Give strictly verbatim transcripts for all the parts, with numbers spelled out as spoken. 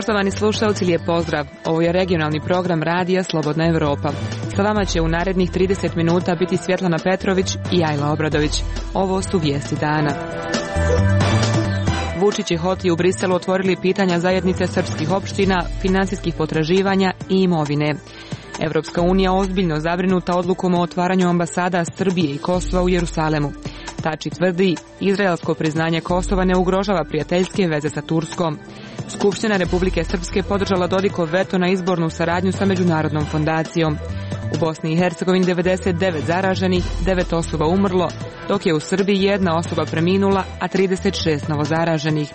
Poštovani slušalci, lijep pozdrav. Ovo je regionalni program Radija Slobodna Evropa. Sa vama će u narednih trideset minuta biti Svjetlana Petrović i Ajla Obradović. Ovo su vijesti dana. Vučić i Hoti u Briselu otvorili pitanja zajednice srpskih opština, financijskih potraživanja i imovine. Evropska unija ozbiljno zabrinuta odlukom o otvaranju ambasada Srbije i Kosova u Jerusalemu. Tači tvrdi, izraelsko priznanje Kosova ne ugrožava prijateljske veze sa Turskom. Skupština Republike Srpske podržala Dodikov veto na izbornu saradnju sa Međunarodnom fondacijom. U Bosni i Hercegovini devedeset devet zaraženih, devet osoba umrlo, dok je u Srbiji jedna osoba preminula, a trideset šest novozaraženih.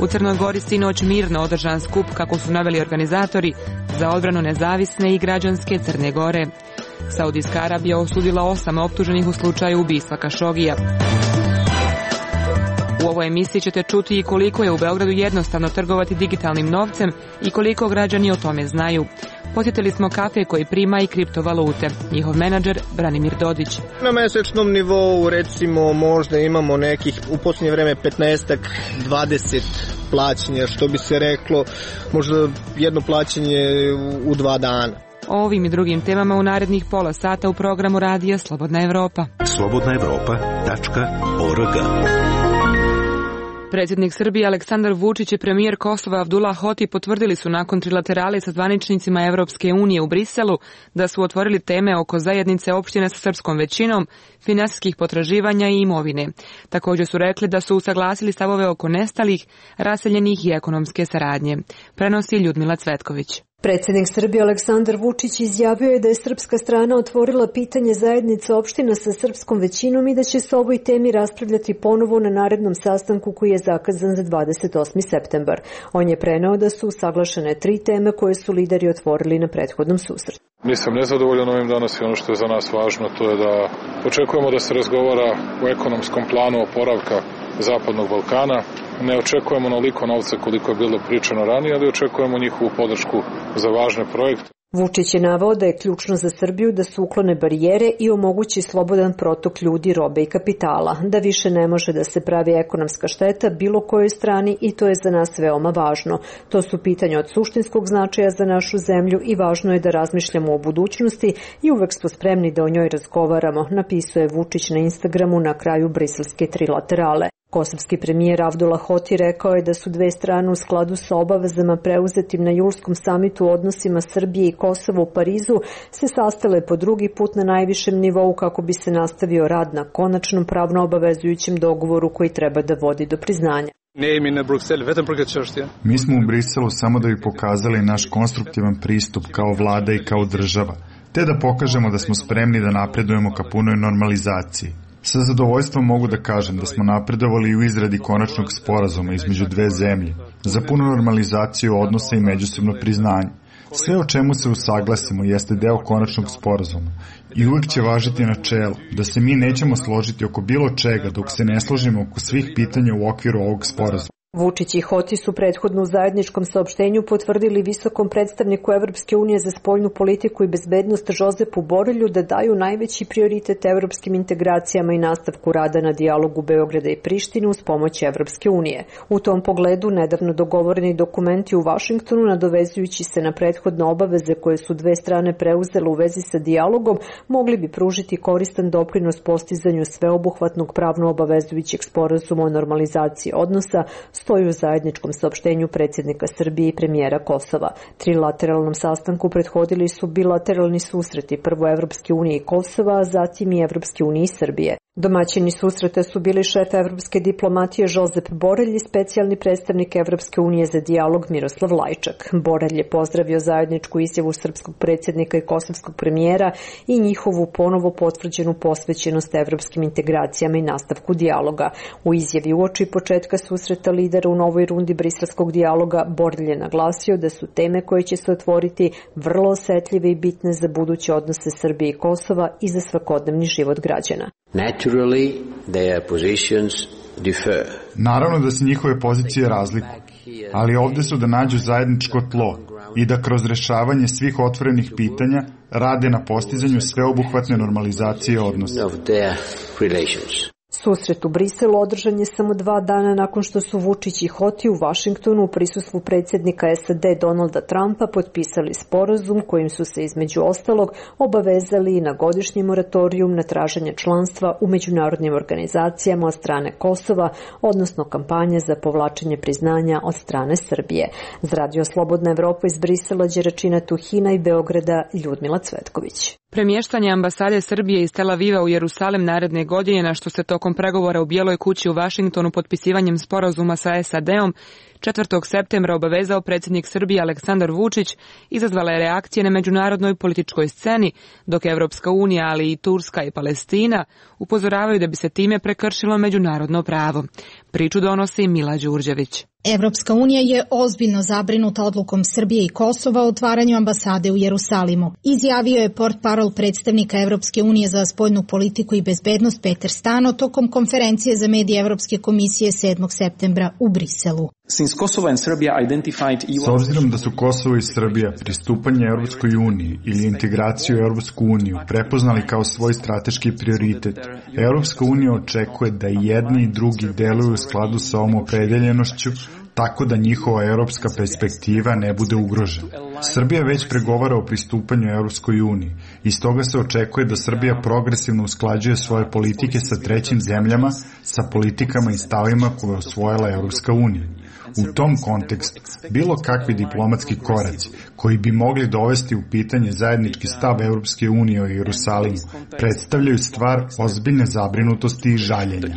U Crnoj Gori sinoć mirno održan skup, kako su naveli organizatori, za odbranu nezavisne i građanske Crne Gore. Saudijska Arabija osudila osam optuženih u slučaju ubistva Kašogija. U ovoj emisiji ćete čuti i koliko je u Beogradu jednostavno trgovati digitalnim novcem i koliko građani o tome znaju. Posjetili smo kafe koji prima i kriptovalute. Njihov menadžer Branimir Dodić. Na mesečnom nivou recimo možda imamo nekih u posljednje vreme petnaest dvadeset plaćanja, što bi se reklo, možda jedno plaćanje u, u dva dana. O ovim i drugim temama u narednih pola sata u programu Radija Slobodna Evropa. slobodna evropa tačka org. Predsjednik Srbije Aleksandar Vučić i premijer Kosova Abdullah Hoti potvrdili su nakon trilaterale sa zvaničnicima Evropske unije u Briselu da su otvorili teme oko zajednice opštine sa srpskom većinom, finansijskih potraživanja i imovine. Također su rekli da su usaglasili stavove oko nestalih, raseljenih i ekonomske saradnje. Prenosi Ljudmila Cvetković. Predsjednik Srbije Aleksandar Vučić izjavio je da je srpska strana otvorila pitanje zajednice opština sa srpskom većinom i da će se o ovoj temi raspravljati ponovo na narednom sastanku koji je zakazan za dvadeset osmi septembar. On je preneo da su usaglašene tri teme koje su lideri otvorili na prethodnom susretu. Nisam nezadovoljan ovim danas i ono što je za nas važno to je da očekujemo da se razgovara o ekonomskom planu oporavka Zapadnog Balkana. Ne očekujemo onoliko novca koliko je bilo pričano ranije, ali očekujemo njihovu podršku za važne projekte. Vučić je naveo da je ključno za Srbiju da se uklone barijere i omogući slobodan protok ljudi, robe i kapitala, da više ne može da se pravi ekonomska šteta bilo kojoj strani i to je za nas veoma važno. To su pitanja od suštinskog značaja za našu zemlju i važno je da razmišljamo o budućnosti i uvek smo spremni da o njoj razgovaramo, napisao je Vučić na Instagramu na kraju briselske trilaterale. Kosovski premijer Abdullah Hoti rekao je da su dve strane u skladu sa obavezama preuzetim na julskom samitu o odnosima Srbije i Kosova u Parizu se sastale po drugi put na najvišem nivou kako bi se nastavio rad na konačnom pravno obavezujućem dogovoru koji treba da vodi do priznanja. Mi smo u Briselu samo da bi pokazali naš konstruktivan pristup kao vlada i kao država, te da pokažemo da smo spremni da napredujemo ka punoj normalizaciji. Sa zadovoljstvom mogu da kažem da smo napredovali u izradi konačnog sporazuma između dve zemlje za punu normalizaciju odnosa i međusobno priznanje. Sve o čemu se usaglasimo jeste deo konačnog sporazuma i uvijek će važiti načelo da se mi nećemo složiti oko bilo čega dok se ne složimo oko svih pitanja u okviru ovog sporazuma. Vučić i Hoti su prethodno u zajedničkom saopštenju potvrdili visokom predstavniku Evropske unije za spoljnu politiku i bezbednost Žozepu Borelju da daju najveći prioritet evropskim integracijama i nastavku rada na dijalogu Beograda i Prištine uz pomoć Evropske unije. U tom pogledu nedavno dogovoreni dokumenti u Vašingtonu, nadovezujući se na prethodne obaveze koje su dve strane preuzele u vezi sa dijalogom, mogli bi pružiti koristan doprinos postizanju sveobuhvatnog pravno obavezujućeg sporazuma o normalizaciji odnosa, stoji u zajedničkom saopštenju predsjednika Srbije i premijera Kosova. Trilateralnom sastanku prethodili su bilateralni susreti, prvo Evropske unije i Kosova, a zatim i Evropske unije i Srbije. Domaćini susreta su bili šef evropske diplomatije Žozep Borelj i specijalni predstavnik Evropske unije za dijalog Miroslav Lajčak. Borelj je pozdravio zajedničku izjavu srpskog predsjednika i kosovskog premijera i njihovu ponovo potvrđenu posvećenost evropskim integracijama i nastavku dijaloga. U izjavi uoči početka susreta lidera u novoj rundi briselskog dijaloga, Borelj je naglasio da su teme koje će se otvoriti vrlo osetljive i bitne za buduće odnose Srbije i Kosova i za svakodnevni život građana. Naturally, their positions differ. Naravno da se njihove pozicije razlikuju, ali ovdje su da nađu zajedničko tlo i da kroz rešavanje svih otvorenih pitanja rade na postizanju sveobuhvatne normalizacije odnosa. Susret u Briselu održan je samo dva dana nakon što su Vučić i Hoti u Vašingtonu u prisustvu predsjednika S A D Donalda Trumpa potpisali sporazum kojim su se između ostalog obavezali na godišnji moratorijum na traženje članstva u međunarodnim organizacijama od strane Kosova, odnosno kampanje za povlačenje priznanja od strane Srbije. Za Radio Slobodna Evropa iz Brisela, Đeračina Tuhina i Beograda, Ljudmila Cvetković. Premještanje ambasade Srbije iz Tel Aviva u Jerusalim naredne godine, na što se tokom pregovora u Bijeloj kući u Vašingtonu potpisivanjem sporazuma sa S A D-om četvrtog septembra obavezao predsjednik Srbije Aleksandar Vučić, izazvala je reakcije na međunarodnoj političkoj sceni, dok Evropska unija, ali i Turska i Palestina upozoravaju da bi se time prekršilo međunarodno pravo. Priču donosi Mila Đurđević. Evropska unija je ozbiljno zabrinuta odlukom Srbije i Kosova o otvaranju ambasade u Jerusalimu. Izjavio je portparol predstavnika Evropske unije za spoljnu politiku i bezbednost Peter Stano tokom konferencije za medije Evropske komisije sedmog septembra u Briselu. S obzirom da su Kosovo i Srbija pristupanje Evropskoj uniji ili integraciju u Evropsku uniju prepoznali kao svoj strateški prioritet, Evropska unija očekuje da jedni i drugi deluju u skladu sa ovom opredeljenošću, tako da njihova europska perspektiva ne bude ugrožena. Srbija već pregovara o pristupanju Evropskoj uniji i stoga se očekuje da Srbija progresivno usklađuje svoje politike sa trećim zemljama sa politikama i stavima koje je osvojila Evropska unija. U tom kontekstu, bilo kakvi diplomatski koraci koji bi mogli dovesti u pitanje zajednički stav Evropske unije o Jerusalimu predstavljaju stvar ozbiljne zabrinutosti i žaljenja.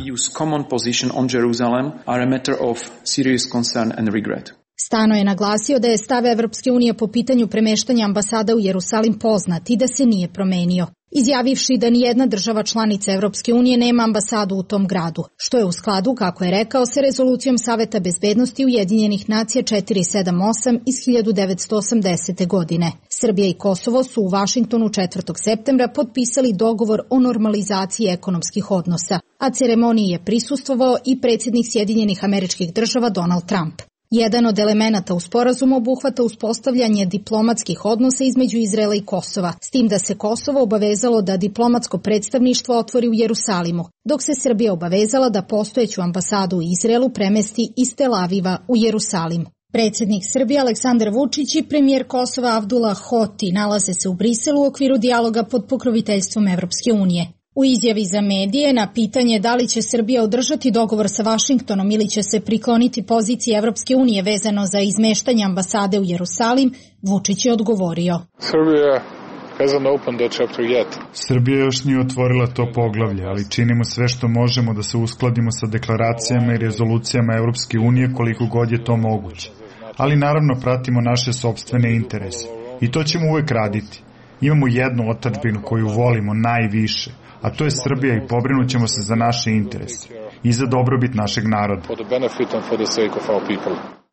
Stano je naglasio da je stav Evropske unije po pitanju premeštanja ambasada u Jerusalim poznat i da se nije promenio, izjavivši da nijedna država članica Evropske unije nema ambasadu u tom gradu, što je u skladu, kako je rekao, sa rezolucijom Saveta bezbednosti Ujedinjenih nacija četiristo sedamdesijet osam iz hiljadu devetsto osamdesete. godine. Srbija i Kosovo su u Vašingtonu četvrtog septembra potpisali dogovor o normalizaciji ekonomskih odnosa, a ceremoniji je prisustvovao i predsjednik Sjedinjenih Američkih Država Donald Trump. Jedan od elemenata u sporazumu obuhvata uspostavljanje diplomatskih odnosa između Izraela i Kosova, s tim da se Kosovo obavezalo da diplomatsko predstavništvo otvori u Jerusalimu, dok se Srbija obavezala da postojeću ambasadu u Izraelu premesti iz Tel Aviva u Jerusalim. Predsjednik Srbije Aleksandar Vučić i premijer Kosova Abdullah Hoti nalaze se u Briselu u okviru dijaloga pod pokroviteljstvom Evropske unije. U izjavi za medije na pitanje da li će Srbija održati dogovor sa Vašingtonom ili će se prikloniti poziciji Evropske unije vezano za izmeštanje ambasade u Jerusalim, Vučić je odgovorio. Srbija još nije otvorila to poglavlje, ali činimo sve što možemo da se uskladimo sa deklaracijama i rezolucijama Evropske unije koliko god je to moguće. Ali naravno pratimo naše sopstvene interese i to ćemo uvek raditi. Imamo jednu otadžbinu koju volimo najviše, a to je Srbija i pobrinut ćemo se za naše interese i za dobrobit našeg naroda.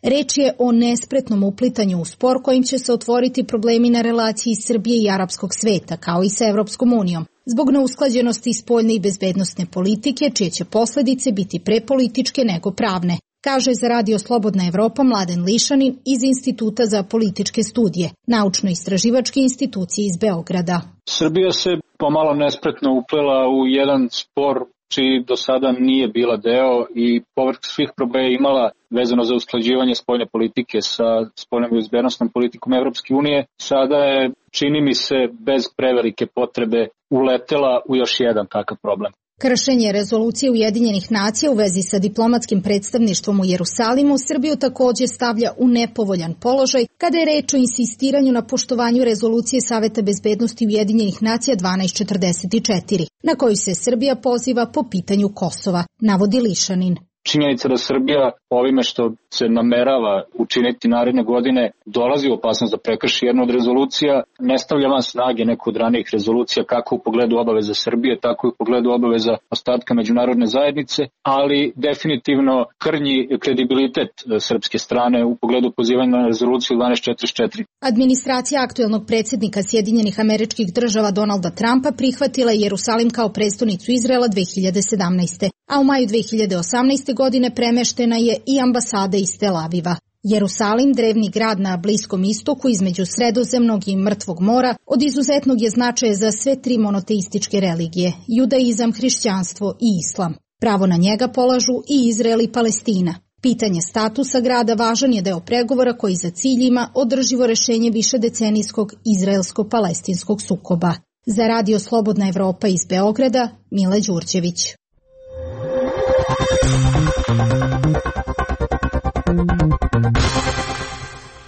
Reč je o nespretnom uplitanju u spor kojim će se otvoriti problemi na relaciji Srbije i arapskog sveta, kao i sa Evropskom unijom, zbog neusklađenosti spoljne i bezbednosne politike, čije će posledice biti pre političke nego pravne, kaže za Radio Slobodna Evropa Mladen Lišanin iz Instituta za političke studije, naučno-istraživačke institucije iz Beograda. Srbija se pomalo nespretno uplela u jedan spor čiji do sada nije bila deo i povrh svih problema je imala vezano za usklađivanje spoljne politike sa spoljnom i bezbednosnom politikom Evropske unije. Sada je, čini mi se, bez prevelike potrebe uletela u još jedan takav problem. Kršenje rezolucije Ujedinjenih nacija u vezi sa diplomatskim predstavništvom u Jerusalimu Srbiju također stavlja u nepovoljan položaj kada je reč o insistiranju na poštovanju rezolucije Saveta bezbednosti Ujedinjenih nacija dvanaest četrdeset četiri, na koju se Srbija poziva po pitanju Kosova, navodi Lišanin. Činjenica da Srbija ovime što se namerava učiniti naredne godine dolazi u opasnost da prekrši jednu od rezolucija, ne stavlja van snage neku od ranijih rezolucija kako u pogledu obaveza Srbije, tako i u pogledu obaveza ostatka međunarodne zajednice, ali definitivno krnji kredibilitet srpske strane u pogledu pozivanja na rezoluciju dvanaest četrdeset četiri. Administracija aktuelnog predsjednika Sjedinjenih Američkih Država Donalda Trumpa prihvatila Jerusalim kao prestonicu Izraela dve hiljade sedamnaeste. a u maju dve hiljade osamnaeste. godine premeštena je i ambasada iz Tel Aviva. Jerusalim, drevni grad na Bliskom istoku između Sredozemnog i Mrtvog mora, od izuzetnog je značaja za sve tri monoteističke religije, judaizam, hrišćanstvo i islam. Pravo na njega polažu i Izrael i Palestina. Pitanje statusa grada važan je deo pregovora koji za cilj ima održivo rešenje višedecenijskog izraelsko-palestinskog sukoba. Za Radio Slobodna Evropa iz Beograda, Mile Đurđević.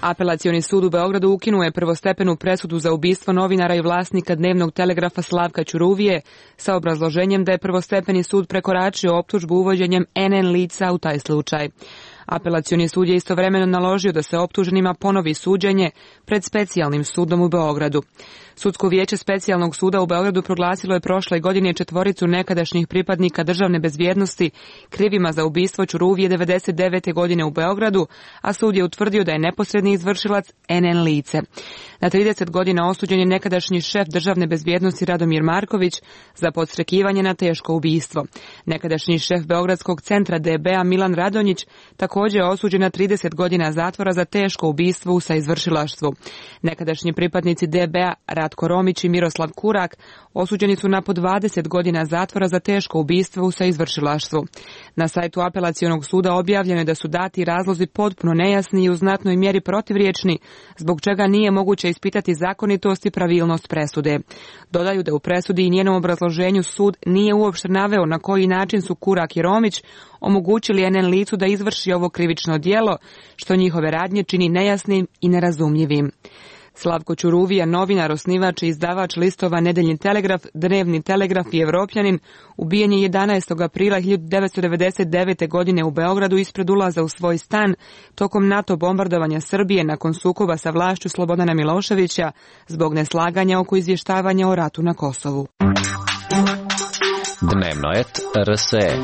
Apelacioni sud u Beogradu ukinuo je prvostepenu presudu za ubistvo novinara i vlasnika dnevnog telegrafa Slavka Ćuruvije sa obrazloženjem da je prvostepeni sud prekoračio optužbu uvođenjem en en lica u taj slučaj. Apelacioni sud je istovremeno naložio da se optuženima ponovi suđenje pred specijalnim sudom u Beogradu. Sudsko vijeće specijalnog suda u Beogradu proglasilo je prošle godine četvoricu nekadašnjih pripadnika državne bezbjednosti krivima za ubistvo Ćuruvije devedeset devete godine u Beogradu, a sud je utvrdio da je neposredni izvršilac en en lice. Na trideset godina osuđen je nekadašnji šef državne bezbjednosti Radomir Marković za podstrekivanje na teško ubistvo. Nekadašnji šef Beogradskog centra de be a Milan Radonjić također je osuđen na trideset godina zatvora za teško ubistvo u saizvršilaštvu. Nekadašnji pripadnici de be a Ratko Romić i Miroslav Kurak osuđeni su na po dvadeset godina zatvora za teško ubistvo u saizvršilaštvu. Na sajtu apelacionog suda objavljeno je da su dati razlozi potpuno nejasni i u znatnoj mjeri protivriječni, zbog čega nije moguće ispitati zakonitost i pravilnost presude. Dodaju da u presudi i njenom obrazloženju sud nije uopšte naveo na koji način su Kurak i Romić omogućili en en licu da izvrši ovo krivično djelo, što njihove radnje čini nejasnim i nerazumljivim. Slavko Ćuruvija, novinar, osnivač i izdavač listova Nedeljni telegraf, Dnevni telegraf i Evropljanin, ubijen je jedanaestog aprila hiljadu devetsto devedeset devete. godine u Beogradu ispred ulaza u svoj stan tokom NATO bombardovanja Srbije nakon sukoba sa vlašću Slobodana Miloševića zbog neslaganja oko izvještavanja o ratu na Kosovu. Dnevnoet er es e.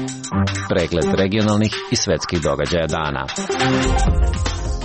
Pregled regionalnih i svetskih događaja dana.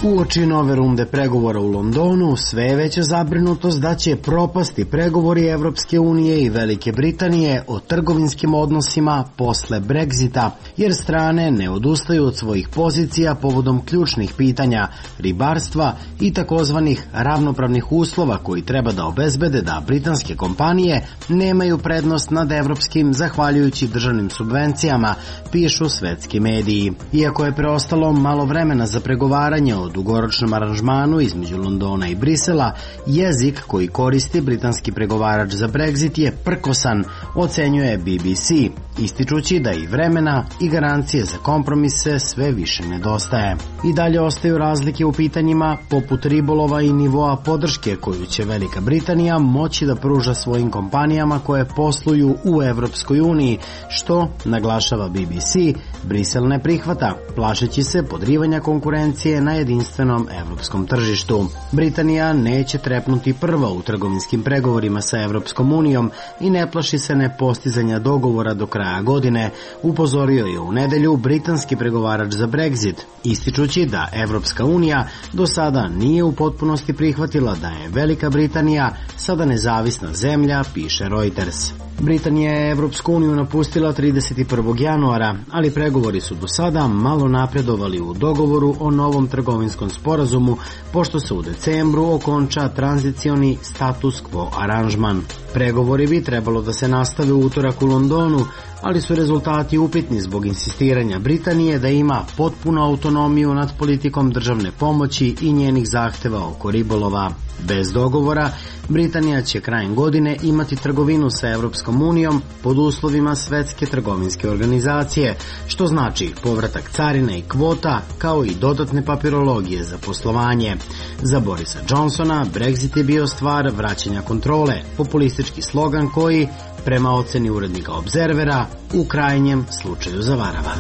Uoči nove runde pregovora u Londonu, sve je veća zabrinutost da će propasti pregovori Evropske unije i Velike Britanije o trgovinskim odnosima posle Brexita, jer strane ne odustaju od svojih pozicija povodom ključnih pitanja ribarstva i takozvanih ravnopravnih uslova koji treba da obezbede da britanske kompanije nemaju prednost nad evropskim zahvaljujući državnim subvencijama, pišu svetski mediji. Iako je preostalo malo vremena za pregovaranje o dugoročnom aranžmanu između Londona i Brisela, jezik koji koristi britanski pregovarač za Brexit je prkosan, ocenjuje be be ce, ističući da i vremena i garancije za kompromise sve više nedostaje. I dalje ostaju razlike u pitanjima poput ribolova i nivoa podrške koju će Velika Britanija moći da pruža svojim kompanijama koje posluju u Evropskoj uniji, što, naglašava be be ce, Brisel ne prihvata, plašeći se podrivanja konkurencije na jedinstvenom evropskom tržištu. Britanija neće trepnuti prva u trgovinskim pregovorima sa Evropskom unijom i ne plaši se nepostizanja dogovora do kraja godine, upozorio je u nedelju britanski pregovarač za Brexit, ističući da Evropska unija do sada nije u potpunosti prihvatila da je Velika Britanija sada nezavisna zemlja, piše Reuters. Britanija je Evropsku uniju napustila trideset prvog januara, ali pregovori su do sada malo napredovali u dogovoru o novom trgovinskom sporazumu, pošto se u decembru okonča tranzicioni status quo aranžman. Pregovori bi trebalo da se nastave u utorak u Londonu, ali su rezultati upitni zbog insistiranja Britanije da ima potpunu autonomiju nad politikom državne pomoći i njenih zahteva oko ribolova. Bez dogovora, Britanija će krajem godine imati trgovinu sa Evropskom unijom pod uslovima Svetske trgovinske organizacije, što znači povratak carine i kvota, kao i dodatne papirologije za poslovanje. Za Borisa Johnsona, Brexit je bio stvar vraćanja kontrole, populistički slogan koji, prema oceni urednika Obzervera, u krajnjem slučaju zavarava.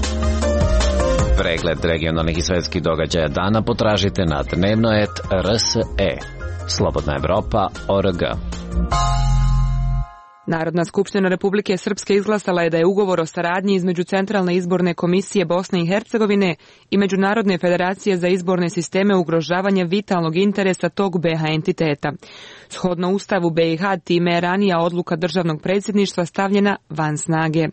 Pregled regionalnih i svetskih događaja dana potražite na dnevnoet er es e. Slobodna Evropa точка орг. Narodna skupština Republike Srpske izglasala je da je ugovor o saradnji između Centralne izborne komisije Bosne i Hercegovine i Međunarodne federacije za izborne sisteme ugrožavanja vitalnog interesa tog be ha entiteta. Shodno Ustavu be i ha, time je ranija odluka državnog predsjedništva stavljena van snage.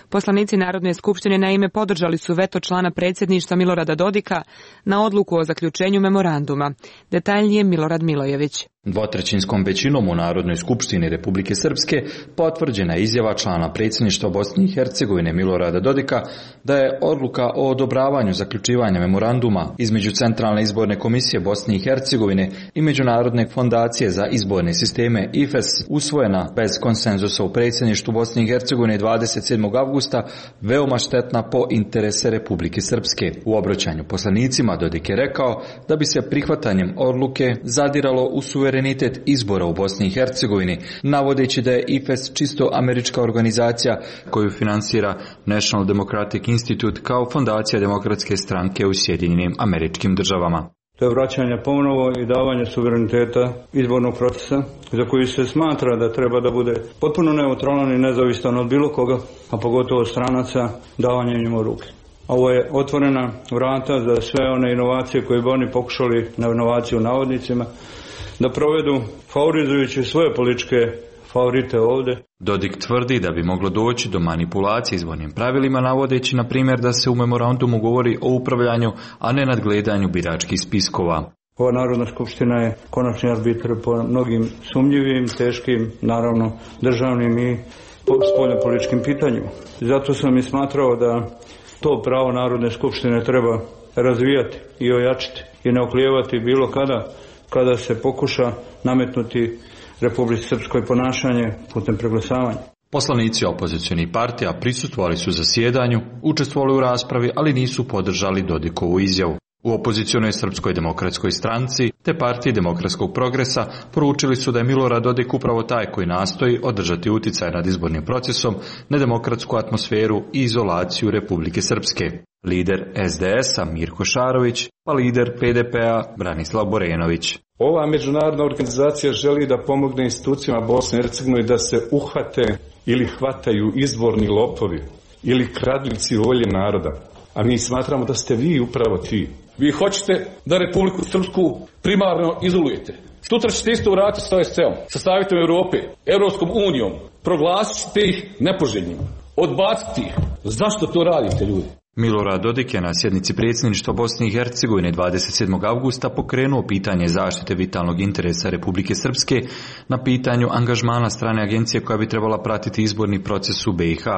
Poslanici Narodne skupštine naime podržali su veto člana predsjedništva Milorada Dodika na odluku o zaključenju memoranduma. Detaljnije Milorad Milojević. Dvotrećinskom većinom u Narodnoj skupštini Republike Srpske potvrđena je izjava člana predsjedništva Bosne i Hercegovine Milorada Dodika da je odluka o odobravanju zaključivanja memoranduma između Centralne izborne komisije Bosne i Hercegovine i Međunarodne fondacije za izborne sisteme I F E S usvojena bez konsenzusa u predsjedništvu Bosne i Hercegovine dvadeset sedmog avgusta veoma štetna po interese Republike Srpske. U obraćanju poslanicima Dodik je rekao da bi se prihvatanjem odluke zadiralo u suverenitet izbora u Bosni i Hercegovini, navodeći da je I F E S čisto američka organizacija koju finansira National Democratic Institute kao fondacija demokratske stranke u Sjedinjenim Američkim Državama. To je vraćanje ponovo i davanje suvereniteta izbornog procesa za koji se smatra da treba da bude potpuno neutralan i nezavisan od bilo koga, a pogotovo stranaca, davanje njima u ruke. Ovo je otvorena vrata za sve one inovacije koje bi oni pokušali, na inovaciju u navodnicima, da provedu favorizujući svoje političke favorite ovdje. Dodik tvrdi da bi moglo doći do manipulacije izbornim pravilima, navodeći na primjer da se u memorandumu govori o upravljanju, a ne nadgledanju biračkih spiskova. Ova Narodna skupština je konačni arbitr po mnogim sumnjivim, teškim, naravno državnim i spoljnopolitičkim pitanjima. Zato sam i smatrao da to pravo Narodne skupštine treba razvijati i ojačiti i ne oklijevati bilo kada kada se pokuša nametnuti Republici Srpskoj ponašanje putem preglasavanja. Poslanici opozicionih partija prisustvovali su zasjedanju, učestvovali u raspravi, ali nisu podržali Dodikovu izjavu. U opozicionoj Srpskoj demokratskoj stranci te partiji Demokratskog progresa poručili su da je Milorad Dodik upravo taj koji nastoji održati uticaj nad izbornim procesom, nedemokratsku atmosferu i izolaciju Republike Srpske. Lider S D S-a Mirko Šarović, pa lider P D P-a Branislav Borenović. Ova međunarodna organizacija želi da pomogne institucijama Bosne i Hercegovine da se uhvate ili hvataju izborni lopovi ili kradljivci volje naroda. A mi smatramo da ste vi upravo ti. Vi hoćete da Republiku Srpsku primarno izolujete. Sutra ćete isto uraditi s O S C-om, sa Savjetom Europe, Europskom unijom. Proglasite ih nepoželjnim. Odbaciti ih. Zašto to radite, ljudi? Milorad Dodik je na sjednici predsjedništva Bosne i Hercegovine dvadeset sedmog avgusta pokrenuo pitanje zaštite vitalnog interesa Republike Srpske na pitanju angažmana strane agencije koja bi trebala pratiti izborni proces u B i H,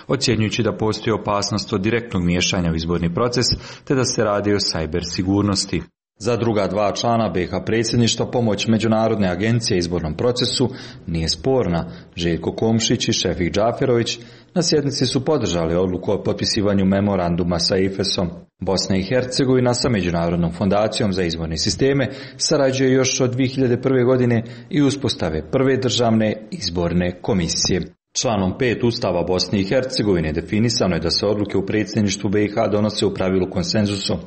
ocjenjujući da postoji opasnost od direktnog miješanja u izborni proces te da se radi o sajber sigurnosti. Za druga dva člana B i H predsjedništva pomoć Međunarodne agencije izbornom procesu nije sporna. Željko Komšić i Šefik Džaferović na sjednici su podržali odluku o potpisivanju memoranduma sa I F E S-om. Bosna i Hercegovina sa Međunarodnom fondacijom za izborne sisteme sarađuje još od dvije hiljade prve. godine i uspostave prve državne izborne komisije. Članom pet Ustava Bosne i Hercegovine definisano je da se odluke u predsjedništvu B i H donose u pravilu konsenzusom.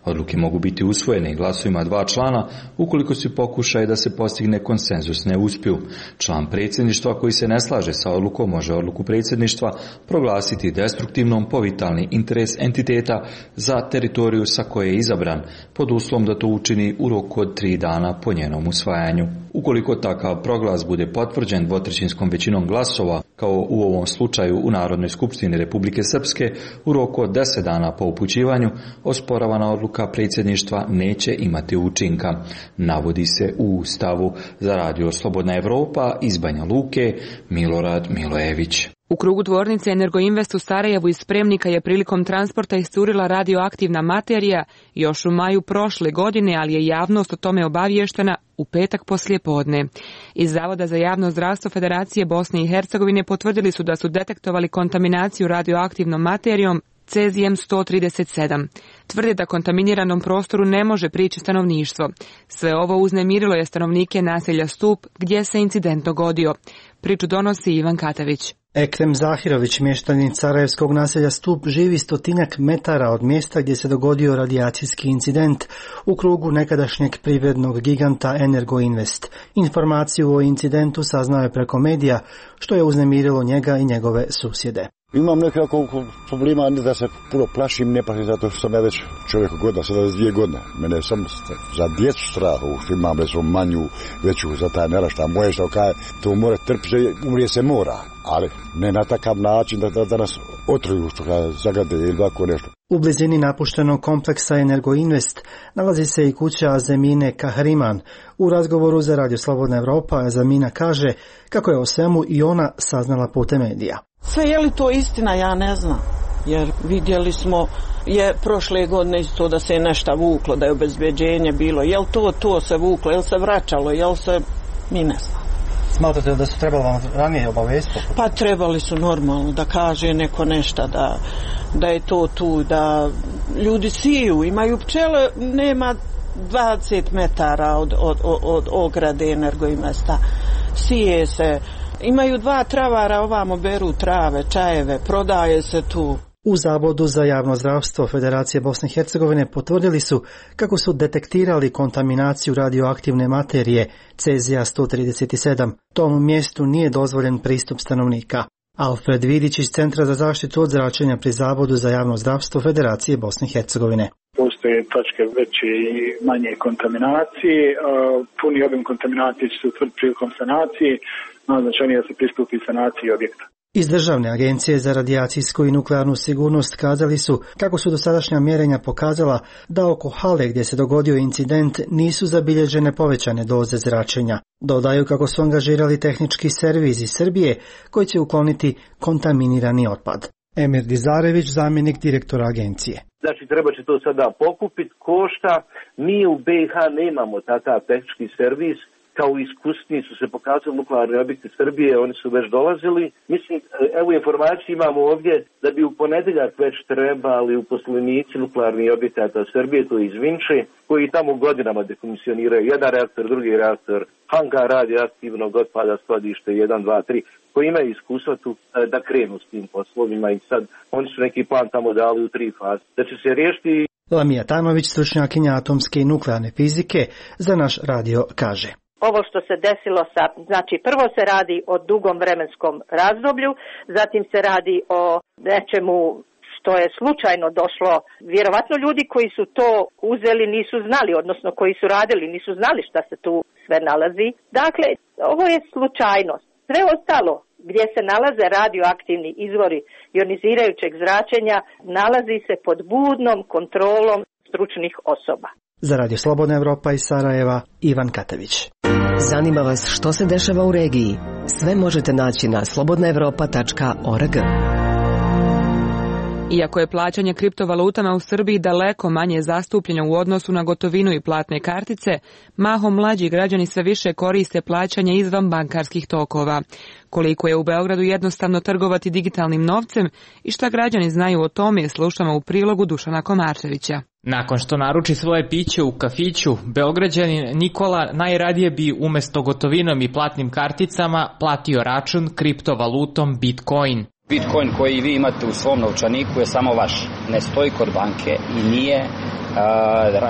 Odluke mogu biti usvojene glasovima dva člana ukoliko se pokušaje da se postigne konsenzus ne uspiju. Član predsjedništva koji se ne slaže sa odlukom može odluku predsjedništva proglasiti destruktivnom po vitalni interes entiteta za teritoriju sa koje je izabran, pod uslovom da to učini u roku od tri dana po njenom usvajanju. Ukoliko takav proglas bude potvrđen dvotrećinskom većinom glasova, kao u ovom slučaju u Narodnoj skupštini Republike Srpske, u roku od deset dana po upućivanju, osporavana odluka predsjedništva neće imati učinka, navodi se u Ustavu. Za radio Slobodna Evropa iz Banja Luke, Milorad Milojević. U krugu tvornice Energoinvest u Sarajevu iz spremnika je prilikom transporta iscurila radioaktivna materija još u maju prošle godine, ali je javnost o tome obavještena u petak poslijepodne. Iz Zavoda za javno zdravstvo Federacije Bosne i Hercegovine potvrdili su da su detektovali kontaminaciju radioaktivnom materijom cezijem sto trideset sedam. Tvrde da kontaminiranom prostoru ne može prići stanovništvo. Sve ovo uznemirilo je stanovnike naselja Stup gdje se incident dogodio. Priču donosi Ivan Katavić. Ekrem Zahirović, mještanin sarajevskog naselja Stup, živi stotinjak metara od mjesta gdje se dogodio radijacijski incident u krugu nekadašnjeg privrednog giganta Energoinvest. Informaciju o incidentu saznao je preko medija, što je uznemirilo njega i njegove susjede. Imam nekako problema da se puno plašim, ne plašim zato što sam ja već čovjek godina, sada je dvije godine. Mene je sam za djecu strah, što imam recimo manju, veću za taj nerašta moje, što kaj, to mora trpiti, umrije se mora, ali ne na takav način da, da, da nas otruju, što kaj zagade ili tako nešto. U blizini napuštenog kompleksa Energoinvest nalazi se i kuća Azemine Kahriman. U razgovoru za Radio Slobodna Evropa Azemina kaže kako je o svemu i ona saznala putem medija. Sve je li to istina, ja ne znam. Jer vidjeli smo je prošle godine isto da se je nešto vuklo, da je obezbeđenje bilo. Jel to, to se vuklo, jel se vraćalo, jel se, mi ne znam. Smatrate da su trebali vam ranije obavijestiti? Pa trebali su normalno da kaže neko nešto, da, da je to tu, da ljudi siju, imaju pčele, nema dvadeset metara od, od, od, od ograde Energoinvesta. Sije se, imaju dva travara, ovamo beru trave, čajeve, prodaje se tu. U Zavodu za javno zdravstvo Federacije Bosne i Hercegovine potvrdili su kako su detektirali kontaminaciju radioaktivne materije cezija sto trideset sedam. Tom mjestu nije dozvoljen pristup stanovnika. Alfred Vidić iz Centra za zaštitu od zračenja pri Zavodu za javno zdravstvo Federacije Bosne i Hercegovine. Postoje točke veće i manje kontaminacije. Puni obim kontaminacije će se utvrditi prilikom sanacije. Najznačajnije da se pristupi sanaciji objekta. Iz Državne agencije za radijacijsku i nuklearnu sigurnost kazali su kako su dosadašnja mjerenja pokazala da oko hale gdje se dogodio incident nisu zabilježene povećane doze zračenja. Dodaju kako su angažirali tehnički servis iz Srbije koji će ukloniti kontaminirani otpad. Emir Dizarević, zamjenik direktora agencije. Znači treba će to sada pokupiti, košta. Mi u B i H nemamo takav tehnički servis. Kao iskusni su se pokazali nuklearni objekti Srbije, oni su već dolazili. Mislim, evo informaciju imamo ovdje da bi u ponedjeljak već trebali uposlenici nuklearnih objekata Srbije, to je iz Vinče, koji tamo godinama dekomisioniraju jedan reaktor, drugi reaktor, hangar radioaktivnog otpada, skladište jedan, dva, tri, koji imaju iskustva tu da krenu s tim poslovima i sad oni su neki plan tamo dali u tri faze. Da će se riješiti. Lamija Tanović, stručnjakinja atomske i nuklearne fizike, za naš radio kaže. Ovo što se desilo sa, znači prvo se radi o dugom vremenskom razdoblju, zatim se radi o nečemu što je slučajno došlo. Vjerovatno ljudi koji su to uzeli nisu znali, odnosno koji su radili nisu znali šta se tu sve nalazi. Dakle, ovo je slučajnost. Sve ostalo gdje se nalaze radioaktivni izvori ionizirajućeg zračenja nalazi se pod budnom kontrolom stručnih osoba. Za Radio Slobodna Evropa iz Sarajeva, Ivan Katević. Zanima vas što se dešava u regiji? Sve možete naći na slobodna evropa tačka org. Iako je plaćanje kriptovalutama u Srbiji daleko manje zastupljeno u odnosu na gotovinu i platne kartice, mahom mlađi građani sve više koriste plaćanje izvan bankarskih tokova. Koliko je u Beogradu jednostavno trgovati digitalnim novcem i šta građani znaju o tome slušamo u prilogu Dušana Komarčevića. Nakon što naruči svoje piće u kafiću, Beograđanin Nikola najradije bi umjesto gotovinom i platnim karticama platio račun kriptovalutom Bitcoin. Bitcoin koji vi imate u svom novčaniku je samo vaš, ne stoji kod banke i nije,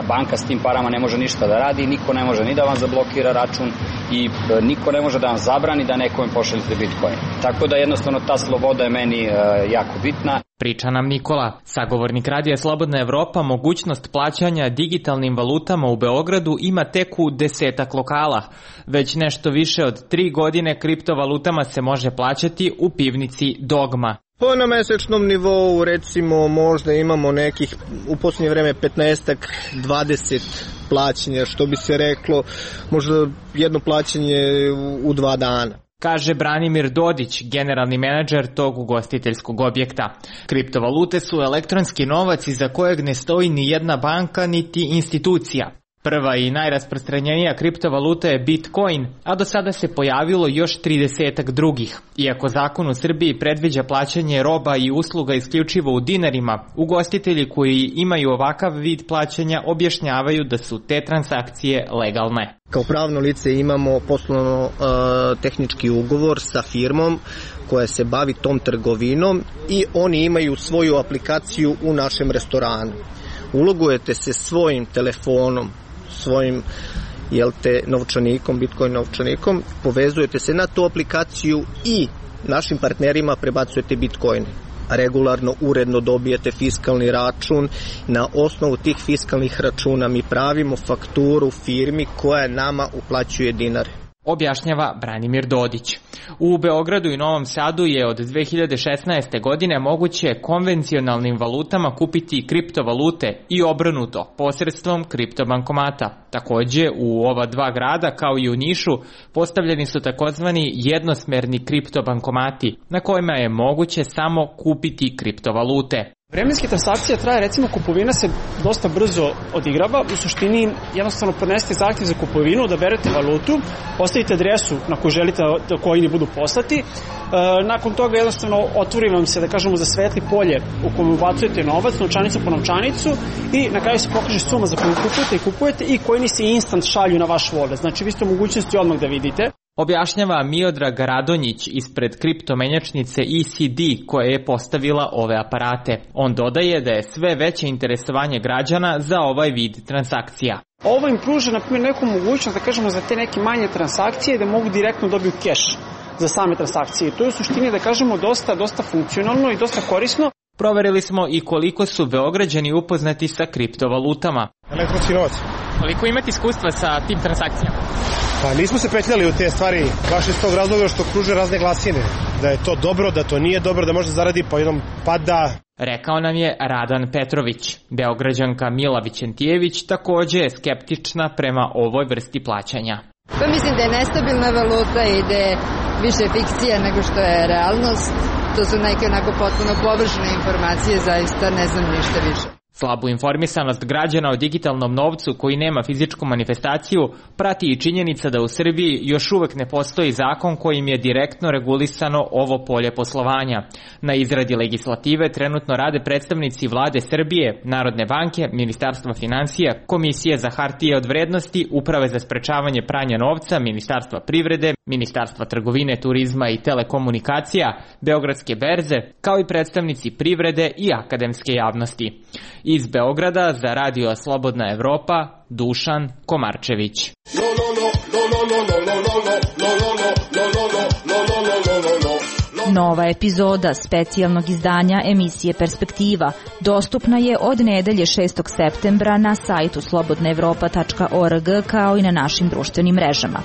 banka s tim parama ne može ništa da radi, niko ne može ni da vam zablokira račun i niko ne može da vam zabrani da nekome pošaljete Bitcoin. Tako da jednostavno ta sloboda je meni jako bitna. Priča nam Nikola, sagovornik Radija Slobodna Evropa, mogućnost plaćanja digitalnim valutama u Beogradu ima tek u desetak lokala. Već nešto više od tri godine kriptovalutama se može plaćati u pivnici Dogma. Po na mesečnom nivou recimo možda imamo nekih u posljednje vreme petnaestak dvadeset plaćanja, što bi se reklo možda jedno plaćanje u, u dva dana. Kaže Branimir Dodić, generalni menadžer tog ugostiteljskog objekta. Kriptovalute su elektronski novac iza kojeg ne stoji ni jedna banka niti institucija. Prva i najrasprostranjenija kriptovaluta je Bitcoin, a do sada se pojavilo još tridesetak drugih. Iako zakon u Srbiji predviđa plaćanje roba i usluga isključivo u dinarima, ugostitelji koji imaju ovakav vid plaćanja objašnjavaju da su te transakcije legalne. Kao pravno lice imamo poslovno uh, tehnički ugovor sa firmom koja se bavi tom trgovinom i oni imaju svoju aplikaciju u našem restoranu. Ulogujete se svojim telefonom, svojim jel te, novčanikom, Bitcoin novčanikom, povezujete se na tu aplikaciju i našim partnerima prebacujete Bitcoin. Regularno, uredno dobijete fiskalni račun. Na osnovu tih fiskalnih računa mi pravimo fakturu firmi koja nama uplaćuje dinare. objašnjava Branimir Dodić. U Beogradu i Novom Sadu je od dve hiljade šesnaeste. godine moguće konvencionalnim valutama kupiti kriptovalute i obrnuto posredstvom kriptobankomata. Takođe, u ova dva grada, kao i u Nišu, postavljeni su takozvani jednosmerni kriptobankomati, na kojima je moguće samo kupiti kriptovalute. Vremenski transakcija traje, recimo kupovina se dosta brzo odigrava, u suštini jednostavno podnesete zahtjev za kupovinu, odaberete valutu, postavite adresu na koju želite da coini budu poslati, e, nakon toga jednostavno otvori vam se, da kažemo, za svetli polje u kojem ubacujete novac, novčanicu po novčanicu i na kraju se pokaže suma za koju kupujete i kupujete i coini se instant šalju na vaš wallet, znači vi ste u mogućnosti odmah da vidite. Objašnjava Miodrag Radonjić ispred kriptomenjačnice E C D koja je postavila ove aparate. On dodaje da je sve veće interesovanje građana za ovaj vid transakcija. Ovo im pruža, na primjer, neku mogućnost, da kažemo, za te neke manje transakcije da mogu direktno dobiju keš za same transakcije. To je u suštini, da kažemo, dosta, dosta funkcionalno i dosta korisno. Proverili smo i koliko su Beograđani upoznati sa kriptovalutama. Elektronski novac. Koliko imate iskustva sa tim transakcijama? Pa nismo se petljali u te stvari, baš iz tog razloga što kruže razne glasine. Da je to dobro, da to nije dobro, da može zaradi po jednom pada. Rekao nam je Radan Petrović. Beograđanka Mila Vićentijević takođe je skeptična prema ovoj vrsti plaćanja. Pa mislim da je nestabilna valuta i da je više fikcija nego što je realnost. To su neke onako potpuno površne informacije, zaista ne znam ništa više. Slabu informisanost građana o digitalnom novcu koji nema fizičku manifestaciju prati i činjenica da u Srbiji još uvek ne postoji zakon kojim je direktno regulisano ovo polje poslovanja. Na izradi legislative trenutno rade predstavnici Vlade Srbije, Narodne banke, Ministarstva finansija, Komisije za hartije od vrednosti, Uprave za sprečavanje pranja novca, Ministarstva privrede, Ministarstva trgovine, turizma i telekomunikacija, Beogradske berze, kao i predstavnici privrede i akademske javnosti. Iz Beograda za Radio Slobodna Evropa, Dušan Komarčević. Nova epizoda specijalnog izdanja emisije Perspektiva dostupna je od nedelje šestog septembra na sajtu slobodna evropa tačka org kao i na našim društvenim mrežama.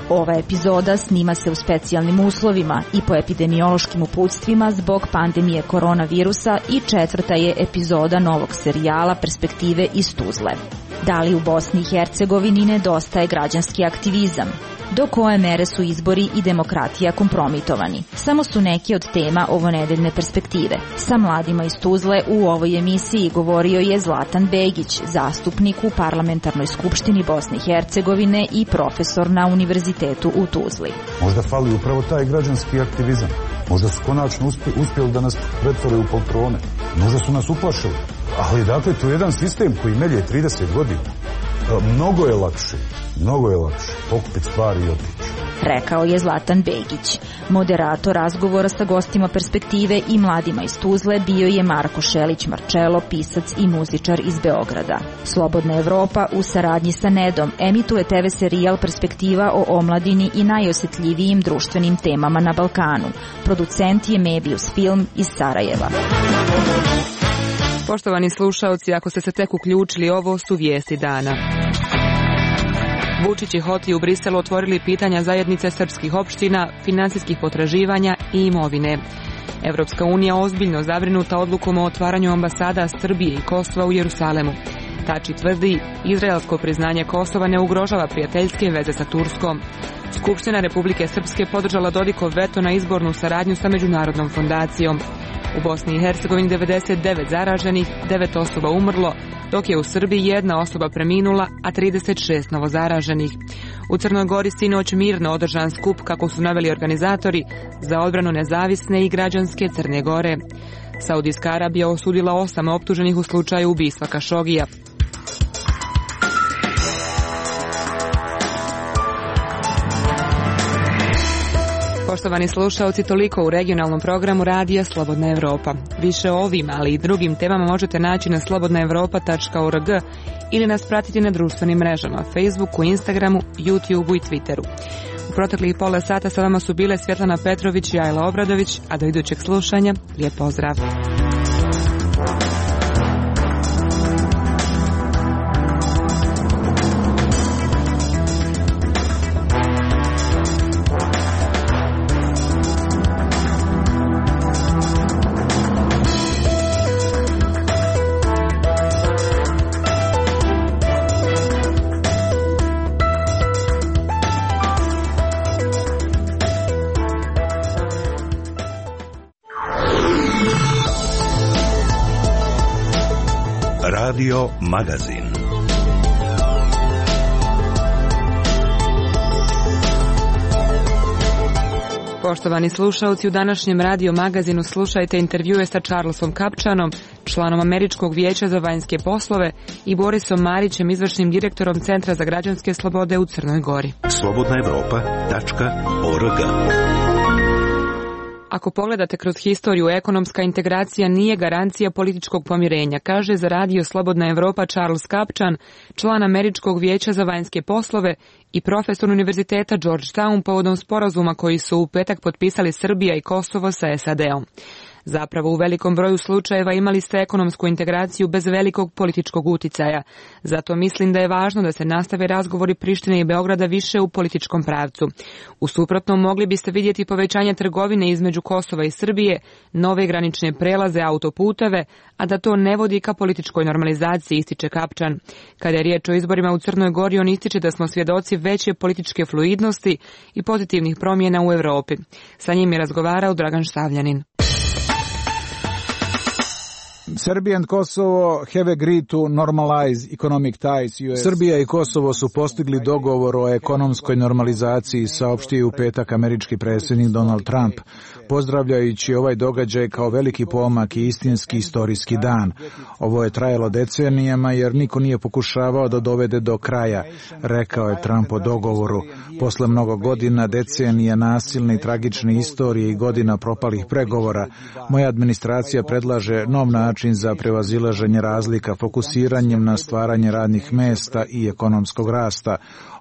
Ova epizoda snima se u specijalnim uslovima i po epidemiološkim uputstvima zbog pandemije koronavirusa i četvrta je epizoda novog serijala Perspektive iz Tuzle. Da li u Bosni i Hercegovini nedostaje građanski aktivizam? Do koje mere su izbori i demokratija kompromitovani? Samo su neki od tema ovonedeljne Perspektive. Sa mladima iz Tuzle u ovoj emisiji govorio je Zlatan Begić, zastupnik u Parlamentarnoj skupštini Bosne i Hercegovine i profesor na Univerzitetu u Tuzli. Možda fali upravo taj građanski aktivizam. Možda su konačno uspjeli da nas pretvore u poltrone. Možda su nas uplašili. Ali dakle, to je jedan sistem koji melje trideset godina. Mnogo je lakše, mnogo je lakše pokupiti stvari i otići. Rekao je Zlatan Begić. Moderator razgovora sa gostima Perspektive i mladima iz Tuzle bio je Marko Šelić Marčelo, pisac i muzičar iz Beograda. Slobodna Evropa u saradnji sa Nedom emituje te ve serijal Perspektiva o omladini i najosjetljivijim društvenim temama na Balkanu. Producent je Mebius Film iz Sarajeva. Poštovani slušaoci, ako ste se tek uključili, ovo su vijesti dana. Vučić i Hoti u Briselu otvorili pitanja zajednice srpskih opština, finansijskih potraživanja i imovine. Evropska unija ozbiljno zabrinuta odlukom o otvaranju ambasada Srbije i Kosova u Jerusalemu. Tači tvrdi, izraelsko priznanje Kosova ne ugrožava prijateljske veze sa Turskom. Skupština Republike Srpske podržala Dodikov veto na izbornu saradnju sa Međunarodnom fondacijom. U Bosni i Hercegovini devedeset devet zaraženih, devet osoba umrlo, dok je u Srbiji jedna osoba preminula, a trideset šest novozaraženih. U Crnoj Gori sinoć mirno održan skup, kako su naveli organizatori, za odbranu nezavisne i građanske Crne Gore. Saudijska Arabija osudila osam optuženih u slučaju ubistva Kašogija. Poštovani slušaoci, toliko u regionalnom programu Radija Slobodna Evropa. Više o ovim, ali i drugim temama možete naći na slobodna evropa tačka org ili nas pratiti na društvenim mrežama, Facebooku, Instagramu, YouTubeu i Twitteru. U proteklih pola sata sa vama su bile Svjetlana Petrović i Ajla Obradović, a do idućeg slušanja, lijep pozdrav. Radio Magazin. Poštovani slušalci, u današnjem Radio Magazinu slušajte intervjue sa Charlesom Kapčanom, članom Američkog vijeća za vanjske poslove, i Borisom Marićem, izvršnim direktorom Centra za građanske slobode u Crnoj Gori. slobodna evropa tačka org. Ako pogledate kroz historiju, ekonomska integracija nije garancija političkog pomirenja, kaže za Radio Slobodna Evropa Charles Kapčan, član Američkog vijeća za vanjske poslove i profesor Univerziteta Georgetown povodom sporazuma koji su u petak potpisali Srbija i Kosovo sa S A D-om. Zapravo, u velikom broju slučajeva imali ste ekonomsku integraciju bez velikog političkog uticaja. Zato mislim da je važno da se nastave razgovori Prištine i Beograda više u političkom pravcu. U suprotnom, mogli biste vidjeti povećanje trgovine između Kosova i Srbije, nove granične prelaze, autoputeve, a da to ne vodi ka političkoj normalizaciji, ističe Kapčan. Kada je riječ o izborima u Crnoj Gori, on ističe da smo svjedoci veće političke fluidnosti i pozitivnih promjena u Europi. Sa njim je razgovarao Dragan Štavljanin. Serbia and Kosovo have agreed to normalize economic ties. Srbija i Kosovo su postigli dogovor o ekonomskoj normalizaciji, saopštio u petak američki predsjednik Donald Trump, pozdravljajući ovaj događaj kao veliki pomak i istinski istorijski dan. Ovo je trajalo decenijama jer niko nije pokušavao da dovede do kraja, rekao je Trump o dogovoru. Posle mnogo godina, decenija nasilne i tragične istorije i godina propalih pregovora, moja administracija predlaže nov način za prevazilaženje razlika fokusiranjem na stvaranje radnih mesta i ekonomskog rasta.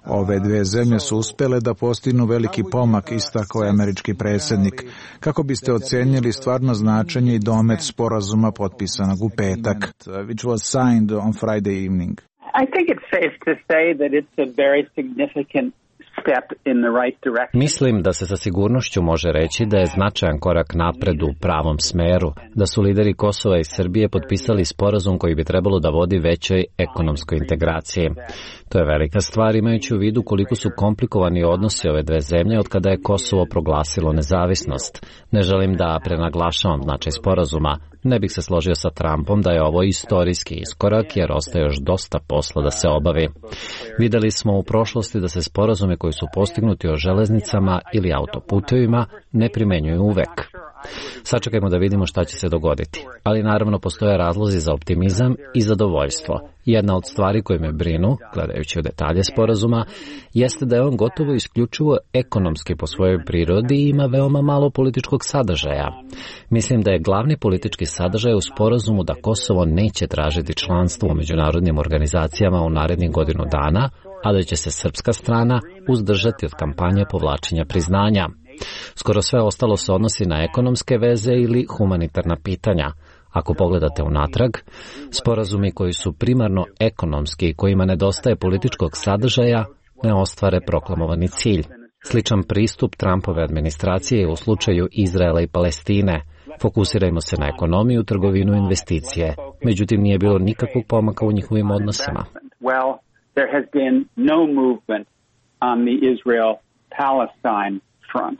Ove dve zemlje su uspjele da postignu veliki pomak, istakao je američki predsjednik. Kako biste ocenjili stvarno značenje i domet sporazuma potpisanog u petak, which was signed on Friday evening? I think it's safe to say that it's a very significant Mislim da se sa sigurnošću može reći da je značajan korak napred u pravom smeru, da su lideri Kosova i Srbije potpisali sporazum koji bi trebalo da vodi većoj ekonomskoj integraciji. To je velika stvar imajući u vidu koliko su komplikovani odnosi ove dve zemlje od kada je Kosovo proglasilo nezavisnost. Ne želim da prenaglašavam značaj sporazuma. Ne bih se složio sa Trumpom da je ovo istorijski iskorak jer ostaje još dosta posla da se obavi. Videli smo u prošlosti da se sporazumi koji su postignuti o železnicama ili autoputevima ne primenjuju uvek. Sačekajmo da vidimo šta će se dogoditi. Ali naravno postoje razlozi za optimizam i zadovoljstvo. Jedna od stvari koje me brinu, gledajući u detalje sporazuma, jeste da je on gotovo isključivo ekonomski po svojoj prirodi i ima veoma malo političkog sadržaja. Mislim da je glavni politički sadržaj u sporazumu da Kosovo neće tražiti članstvo u međunarodnim organizacijama u narednih godinu dana, a da će se srpska strana uzdržati od kampanje povlačenja priznanja. Skoro sve ostalo se odnosi na ekonomske veze ili humanitarna pitanja. Ako pogledate unatrag, sporazumi koji su primarno ekonomski i kojima nedostaje političkog sadržaja ne ostvare proklamovani cilj. Sličan pristup Trumpove administracije je u slučaju Izraela i Palestine. Fokusirajmo se na ekonomiju, trgovinu i investicije. Međutim, nije bilo nikakvog pomaka u njihovim odnosima. Well, there has been no movement on the Israel-Palestine front.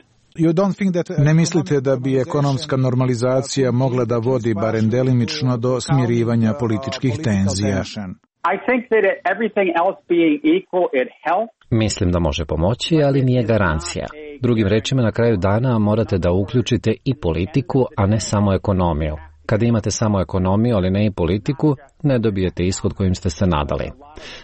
Ne mislite da bi ekonomska normalizacija mogla da vodi barem delimično do smirivanja političkih tenzija? Mislim da može pomoći, ali nije garancija. Drugim rečima, na kraju dana morate da uključite i politiku, a ne samo ekonomiju. Kada imate samo ekonomiju, ali ne i politiku, ne dobijete ishod kojim ste se nadali.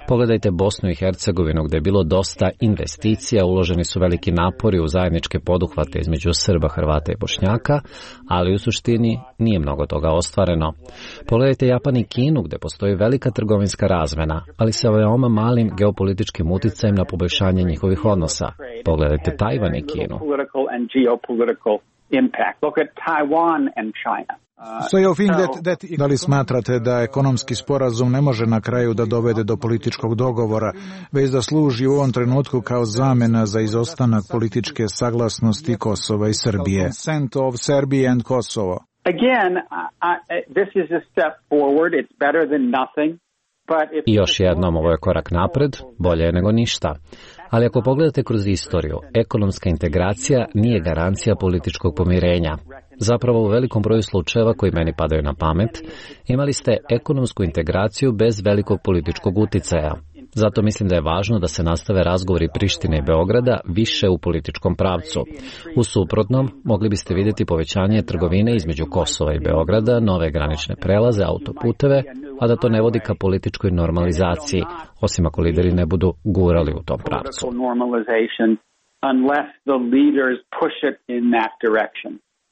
Pogledajte Bosnu i Hercegovinu gdje je bilo dosta investicija, uloženi su veliki napori u zajedničke poduhvate između Srba, Hrvata i Bošnjaka, ali u suštini nije mnogo toga ostvareno. Pogledajte Japan i Kinu gdje postoji velika trgovinska razmena, ali sa veoma malim geopolitičkim uticajem na poboljšanje njihovih odnosa. Pogledajte Tajvan i Kinu. So you think that, that... Da li smatrate da ekonomski sporazum ne može na kraju da dovede do političkog dogovora, već da služi u ovom trenutku kao zamena za izostanak političke saglasnosti Kosova i Srbije? Consent of Serbia and Kosovo. Again, I, I, this is a step forward. It's better than nothing. I još jednom, ovo je korak napred, bolje je nego ništa. Ali ako pogledate kroz istoriju, ekonomska integracija nije garancija političkog pomirenja. Zapravo u velikom broju slučajeva koji meni padaju na pamet, imali ste ekonomsku integraciju bez velikog političkog uticaja. Zato mislim da je važno da se nastave razgovori Prištine i Beograda više u političkom pravcu. U suprotnom, mogli biste vidjeti povećanje trgovine između Kosova i Beograda, nove granične prelaze, autoputeve, a da to ne vodi ka političkoj normalizaciji, osim ako lideri ne budu gurali u tom pravcu.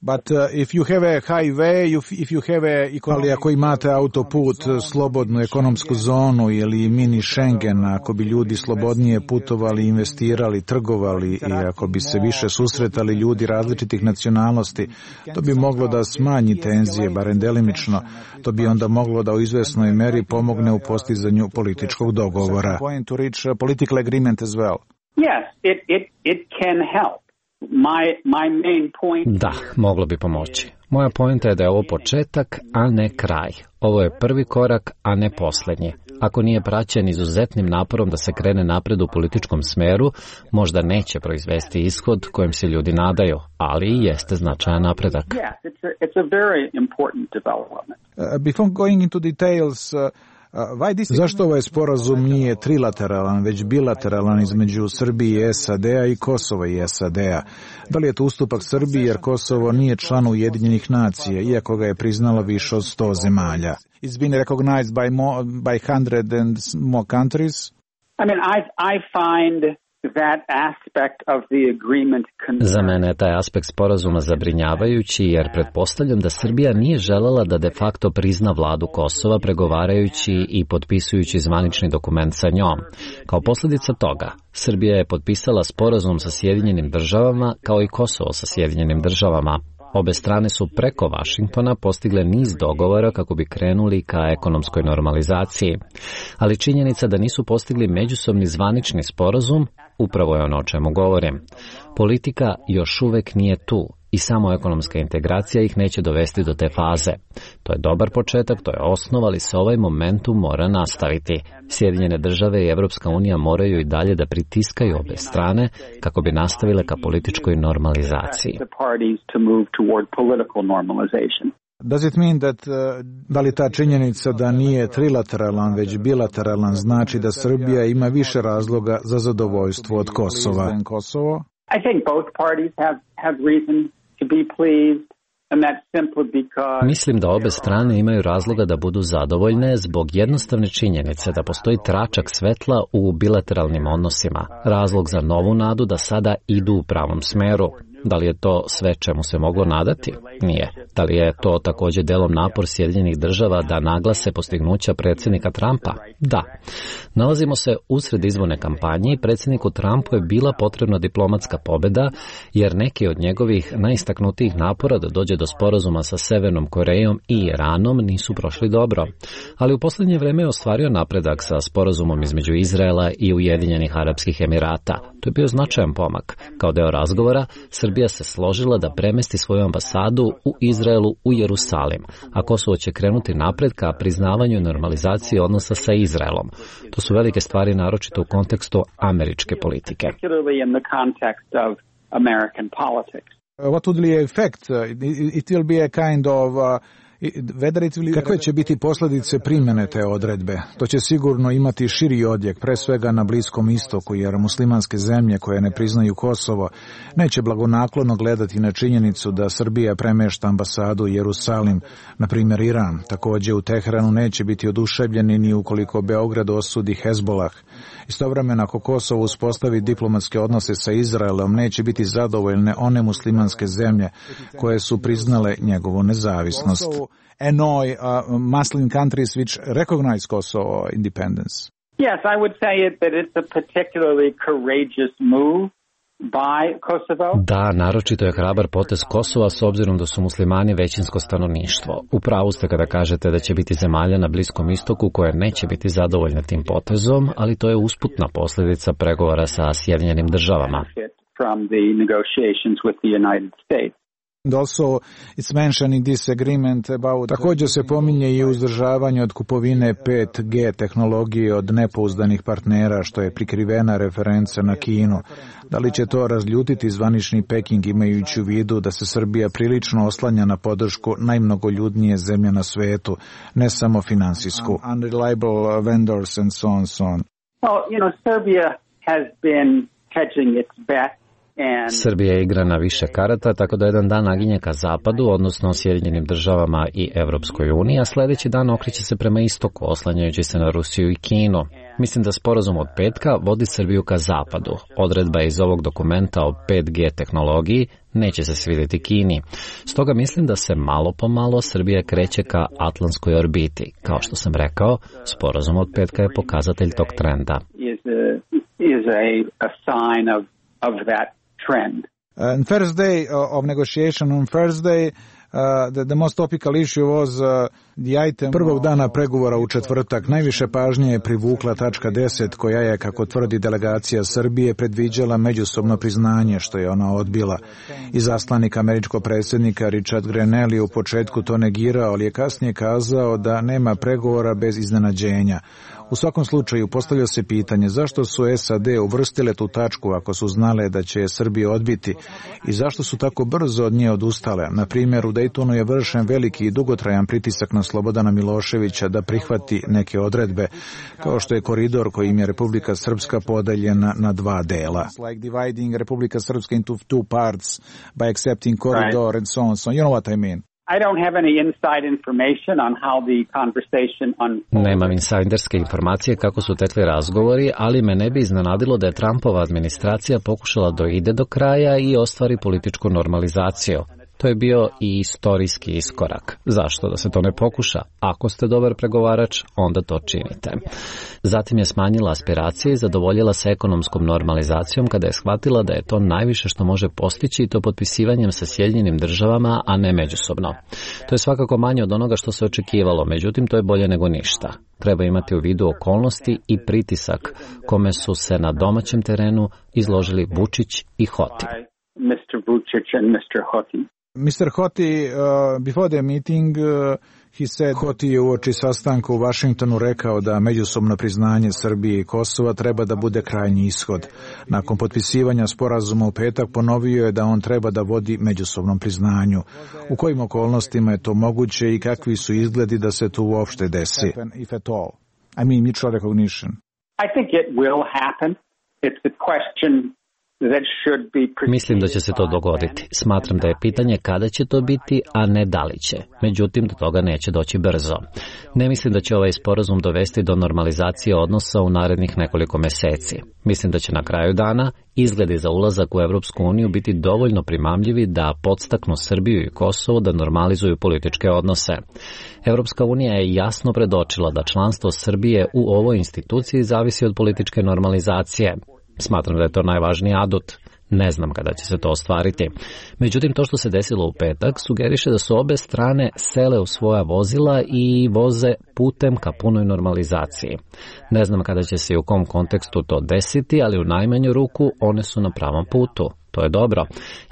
But uh, if you have a highway, if you have a... Ali ako imate autoput, slobodnu ekonomsku zonu ili mini Schengen, ako bi ljudi slobodnije putovali, investirali, trgovali i ako bi se više susretali ljudi različitih nacionalnosti, to bi moglo da smanji tenzije, barem delimično. To bi onda moglo da u izvesnoj meri pomogne u postizanju političkog dogovora. Point to reach political agreement as well. Yes, it, it, it can help. My, my main point... Da, moglo bi pomoći. Moja pointa je da je ovo početak, a ne kraj. Ovo je prvi korak, a ne posljednji. Ako nije praćen izuzetnim naporom da se krene napred u političkom smeru, možda neće proizvesti ishod kojem se ljudi nadaju, ali i jeste značajan napredak. Yes, it's a, it's a very important development. Uh, before going into details, uh... Zašto ovaj sporazum nije trilateralan, već bilateralan između Srbije i S A D-a i Kosova i S A D-a? Da li je to ustupak Srbiji jer Kosovo nije član Ujedinjenih nacija, iako ga je priznalo više od sto zemalja? It's been recognized by, more, by hundred and more countries? I mean, I, I find that aspect of the agreement concern. Za mene je taj aspekt sporazuma zabrinjavajući jer pretpostavljam da Srbija nije želela da de facto prizna vladu Kosova pregovarajući i potpisujući zvanični dokument sa njom. Kao posljedica toga, Srbija je potpisala sporazum sa Sjedinjenim državama kao i Kosovo sa Sjedinjenim državama. Obe strane su preko Vašingtona postigle niz dogovora kako bi krenuli ka ekonomskoj normalizaciji. Ali činjenica da nisu postigli međusobni zvanični sporazum upravo je ono o čemu govorim. Politika još uvek nije tu i samo ekonomska integracija ih neće dovesti do te faze. To je dobar početak, to je osnova, ali se ovaj momentum mora nastaviti. Sjedinjene države i Evropska unija moraju i dalje da pritiskaju obe strane kako bi nastavile ka političkoj normalizaciji. Does it mean that, uh, da li ta činjenica da nije trilateralan, već bilateralan, znači da Srbija ima više razloga za zadovoljstvo od Kosova? I think both parties have, have reason to be pleased. Mislim da obe strane imaju razloga da budu zadovoljne zbog jednostavne činjenice da postoji tračak svetla u bilateralnim odnosima. Razlog za novu nadu da sada idu u pravom smeru. Da li je to sve čemu se moglo nadati? Nije. Da li je to također delom napor Sjedinjenih država da naglase postignuća predsjednika Trumpa? Da. Nalazimo se usred izborne kampanje i predsjedniku Trumpu je bila potrebna diplomatska pobjeda jer neki od njegovih najistaknutijih napora da dođe do sporazuma sa Severnom Korejom i Iranom nisu prošli dobro. Ali u posljednje vrijeme je ostvario napredak sa sporazumom između Izraela i Ujedinjenih Arapskih Emirata. To je bio značajan pomak. Kao deo razgovora, Srbija se složila da premesti svoju ambasadu u Izraelu u Jerusalim, a Kosovo će krenuti napred ka priznavanju i normalizaciji odnosa sa Izraelom. To su velike stvari naročito u kontekstu američke politike. What would be the effect? It will be a kind of... Uh... Kakve će biti posljedice primjene te odredbe? To će sigurno imati širi odjek, pre svega na Bliskom istoku, jer muslimanske zemlje koje ne priznaju Kosovo neće blagonaklono gledati na činjenicu da Srbija premešta ambasadu u Jerusalim, na primjer Iran. Također u Teheranu neće biti oduševljeni ni ukoliko Beograd osudi Hezbolah. Istovremeno, ako Kosovo uspostavi diplomatske odnose sa Izraelom, neće biti zadovoljne one muslimanske zemlje koje su priznale njegovu nezavisnost. Annoy uh, Muslim countries which recognize Kosovo independence. Yes, I would say it, that it's a particularly courageous move by Kosovo. Da, naročito je hrabar potez Kosova s obzirom da su muslimani većinsko stanovništvo. U pravu ste kada kažete da će biti zemalja na Bliskom istoku koje neće biti zadovoljne tim potezom, ali to je usputna posljedica pregovora sa Sjedinjenim državama. From the negotiations with the United States. Also, it's mentioned in this agreement about... Također se pominje i uzdržavanje od kupovine pet G tehnologije od nepouzdanih partnera, što je prikrivena referenca na Kinu. Da li će to razljutiti zvanični Peking, imajući u vidu da se Srbija prilično oslanja na podršku najmnogoljudnije zemlje na svetu, ne samo finansijsku? Unreliable vendors and so on, so on. Well, you know, Serbia has been hedging its bet. Srbija igra na više karata, tako da jedan dan naginje ka zapadu, odnosno Sjedinjenim državama i Evropskoj uniji, a sledeći dan okreće se prema istoku, oslanjajući se na Rusiju i Kinu. Mislim da sporazum od petka vodi Srbiju ka zapadu. Odredba iz ovog dokumenta o pet G tehnologiji neće se svidjeti Kini. Stoga mislim da se malo po malo Srbija kreće ka atlantskoj orbiti. Kao što sam rekao, sporazum od petka je pokazatelj tog trenda. Is a, is a, a sign of, of that trend. Uh, on first day of negotiation on Thursday, uh, the, the most topical issue was uh, the item... Prvog dana pregovora u četvrtak najviše pažnje je privukla tačka deset, koja je, kako tvrdi delegacija Srbije, predviđala međusobno priznanje, što je ona odbila. Izaslanik američkog predsjednika Richard Grenell je u početku to negirao, ali je kasnije kazao da nema pregovora bez iznenađenja. U svakom slučaju postavlja se pitanje zašto su S A D uvrstile tu tačku ako su znale da će je Srbija odbiti i zašto su tako brzo od nje odustale. Na primjer, u Daytonu je vršen veliki i dugotrajan pritisak na Slobodana Miloševića da prihvati neke odredbe, kao što je koridor kojim je Republika Srpska podeljena na dva dela. Like dividing Republika Srpska into two parts by accepting corridor and so on. So you know what I mean? I don't have any inside information on how the conversation unfolded. Nemam insajderske informacije kako su tekli razgovori, ali me ne bi iznenadilo da je Trumpova administracija pokušala da ide do kraja i ostvari političku normalizaciju. To je bio i istorijski iskorak. Zašto da se to ne pokuša? Ako ste dobar pregovarač, onda to činite. Zatim je smanjila aspiracije i zadovoljila se ekonomskom normalizacijom kada je shvatila da je to najviše što može postići i to potpisivanjem sa Sjedinjenim državama, a ne međusobno. To je svakako manje od onoga što se očekivalo, međutim to je bolje nego ništa. Treba imati u vidu okolnosti i pritisak kome su se na domaćem terenu izložili Vučić i Hoti. mister Vučić and mister Hoti. mister Hoti, uh, before the meeting, uh, he said, Hoti je uoči sastanka u Vašingtonu rekao da međusobno priznanje Srbije i Kosova treba da bude krajnji ishod. Nakon potpisivanja sporazuma u petak ponovio je da on treba da vodi međusobnom priznanju. U kojim okolnostima je to moguće i kakvi su izgledi da se to uopšte desi? If at all. I mean, mutual recognition. I think it will happen. It's a question. Mislim da će se to dogoditi. Smatram da je pitanje kada će to biti, a ne da li će. Međutim, do toga neće doći brzo. Ne mislim da će ovaj sporazum dovesti do normalizacije odnosa u narednih nekoliko meseci. Mislim da će na kraju dana izgledi za ulazak u Evropsku uniju biti dovoljno primamljivi da podstaknu Srbiju i Kosovo da normalizuju političke odnose. Evropska unija je jasno predočila da članstvo Srbije u ovoj instituciji zavisi od političke normalizacije. Smatram da je to najvažniji adut. Ne znam kada će se to ostvariti. Međutim, to što se desilo u petak sugeriše da su obe strane sele u svoja vozila i voze putem ka punoj normalizaciji. Ne znam kada će se i u kom kontekstu to desiti, ali u najmanju ruku one su na pravom putu. To je dobro.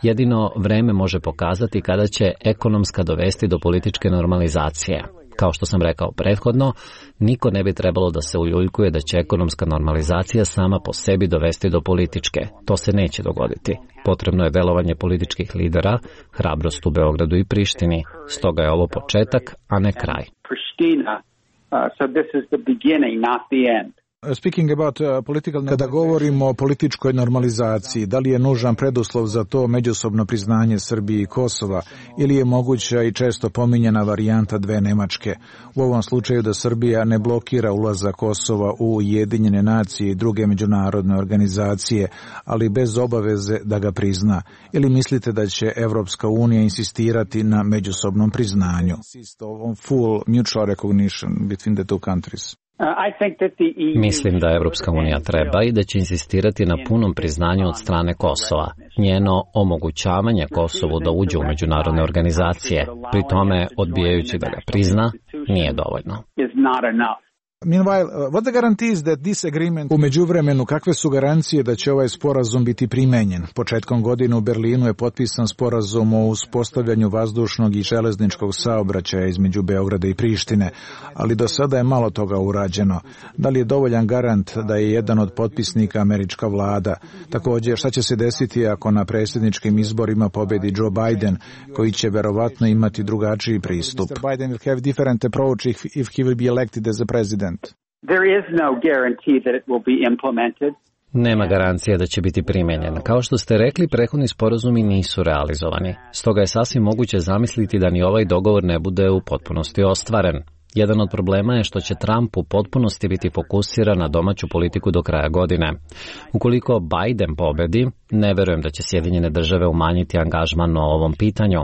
Jedino vreme može pokazati kada će ekonomska dovesti do političke normalizacije. Kao što sam rekao prethodno, niko ne bi trebalo da se uljuljkuje da će ekonomska normalizacija sama po sebi dovesti do političke. To se neće dogoditi. Potrebno je delovanje političkih lidera, hrabrost u Beogradu i Prištini. Stoga je ovo početak, a ne kraj. Speaking about uh, political... Kada govorimo o političkoj normalizaciji, da li je nužan preduslov za to međusobno priznanje Srbije i Kosova ili je moguća i često pominjena varijanta dve Nemačke? U ovom slučaju da Srbija ne blokira ulazak Kosova u Ujedinjene nacije i druge međunarodne organizacije, ali bez obaveze da ga prizna. Ili mislite da će Evropska unija insistirati na međusobnom priznanju? Full mutual recognition between the two countries. Mislim da Evropska unija treba i da će insistirati na punom priznanju od strane Kosova. Njeno omogućavanje Kosovu da uđe u međunarodne organizacije, pri tome odbijajući da ga prizna, nije dovoljno. Meanwhile, uh, what the guarantees that this agreement... U međuvremenu, kakve su garancije da će ovaj sporazum biti primenjen? Početkom godine u Berlinu je potpisan sporazum o uspostavljanju vazdušnog i železničkog saobraćaja između Beograda i Prištine, ali do sada je malo toga urađeno. Da li je dovoljan garant da je jedan od potpisnika američka vlada? Također, šta će se desiti ako na predsjedničkim izborima pobedi Joe Biden, koji će verovatno imati drugačiji pristup? mister Biden will have different approach if, if he will be elected as a president. There is no guarantee that it will be implemented. Nema garancije da će biti primenjen. Kao što ste rekli, prethodni sporazumi nisu realizovani. Stoga je sasvim moguće zamisliti da ni ovaj dogovor ne bude u potpunosti ostvaren. Jedan od problema je što će Trump u potpunosti biti fokusiran na domaću politiku do kraja godine. Ukoliko Biden pobedi, ne verujem da će Sjedinjene države umanjiti angažman o ovom pitanju.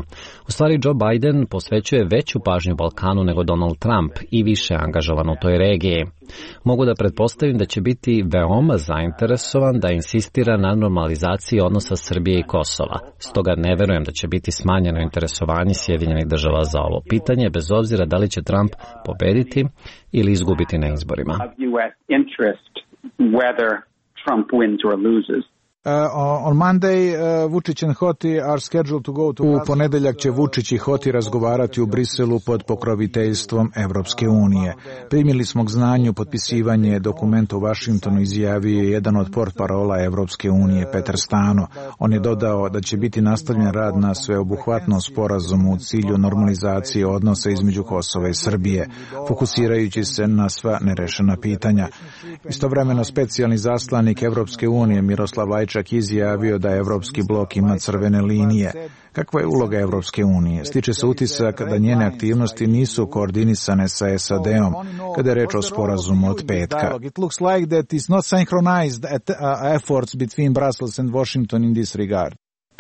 U stvari, Joe Biden posvećuje veću pažnju Balkanu nego Donald Trump i više angažovan u toj regiji. Mogu da pretpostavim da će biti veoma zainteresovan da insistira na normalizaciji odnosa Srbije i Kosova. Stoga ne verujem da će biti smanjeno interesovanje Sjedinjenih država za ovo pitanje, bez obzira da li će Trump pobediti ili izgubiti na izborima. Uh, on Monday, uh, Vučić and Hoti are scheduled to go to... U ponedeljak će Vučić i Hoti razgovarati u Briselu pod pokroviteljstvom Evropske unije. Primili smo k znanju potpisivanje dokumenta u Vašingtonu, izjavio je jedan od portparola Evropske unije, Petar Stano. On je dodao da će biti nastavljen rad na sveobuhvatnom sporazumu u cilju normalizacije odnosa između Kosova i Srbije, fokusirajući se na sva nerešena pitanja. Istovremeno, specijalni zaslanik Evropske unije Miroslav Lajčak čak izjavio da Evropski blok ima crvene linije. Kakva je uloga Evropske unije? Stiče se utisak da njene aktivnosti nisu koordinisane sa S A D-om kada je reč o sporazumu od petka. It looks like that is not synchronized efforts between Brussels and Washington in this regard.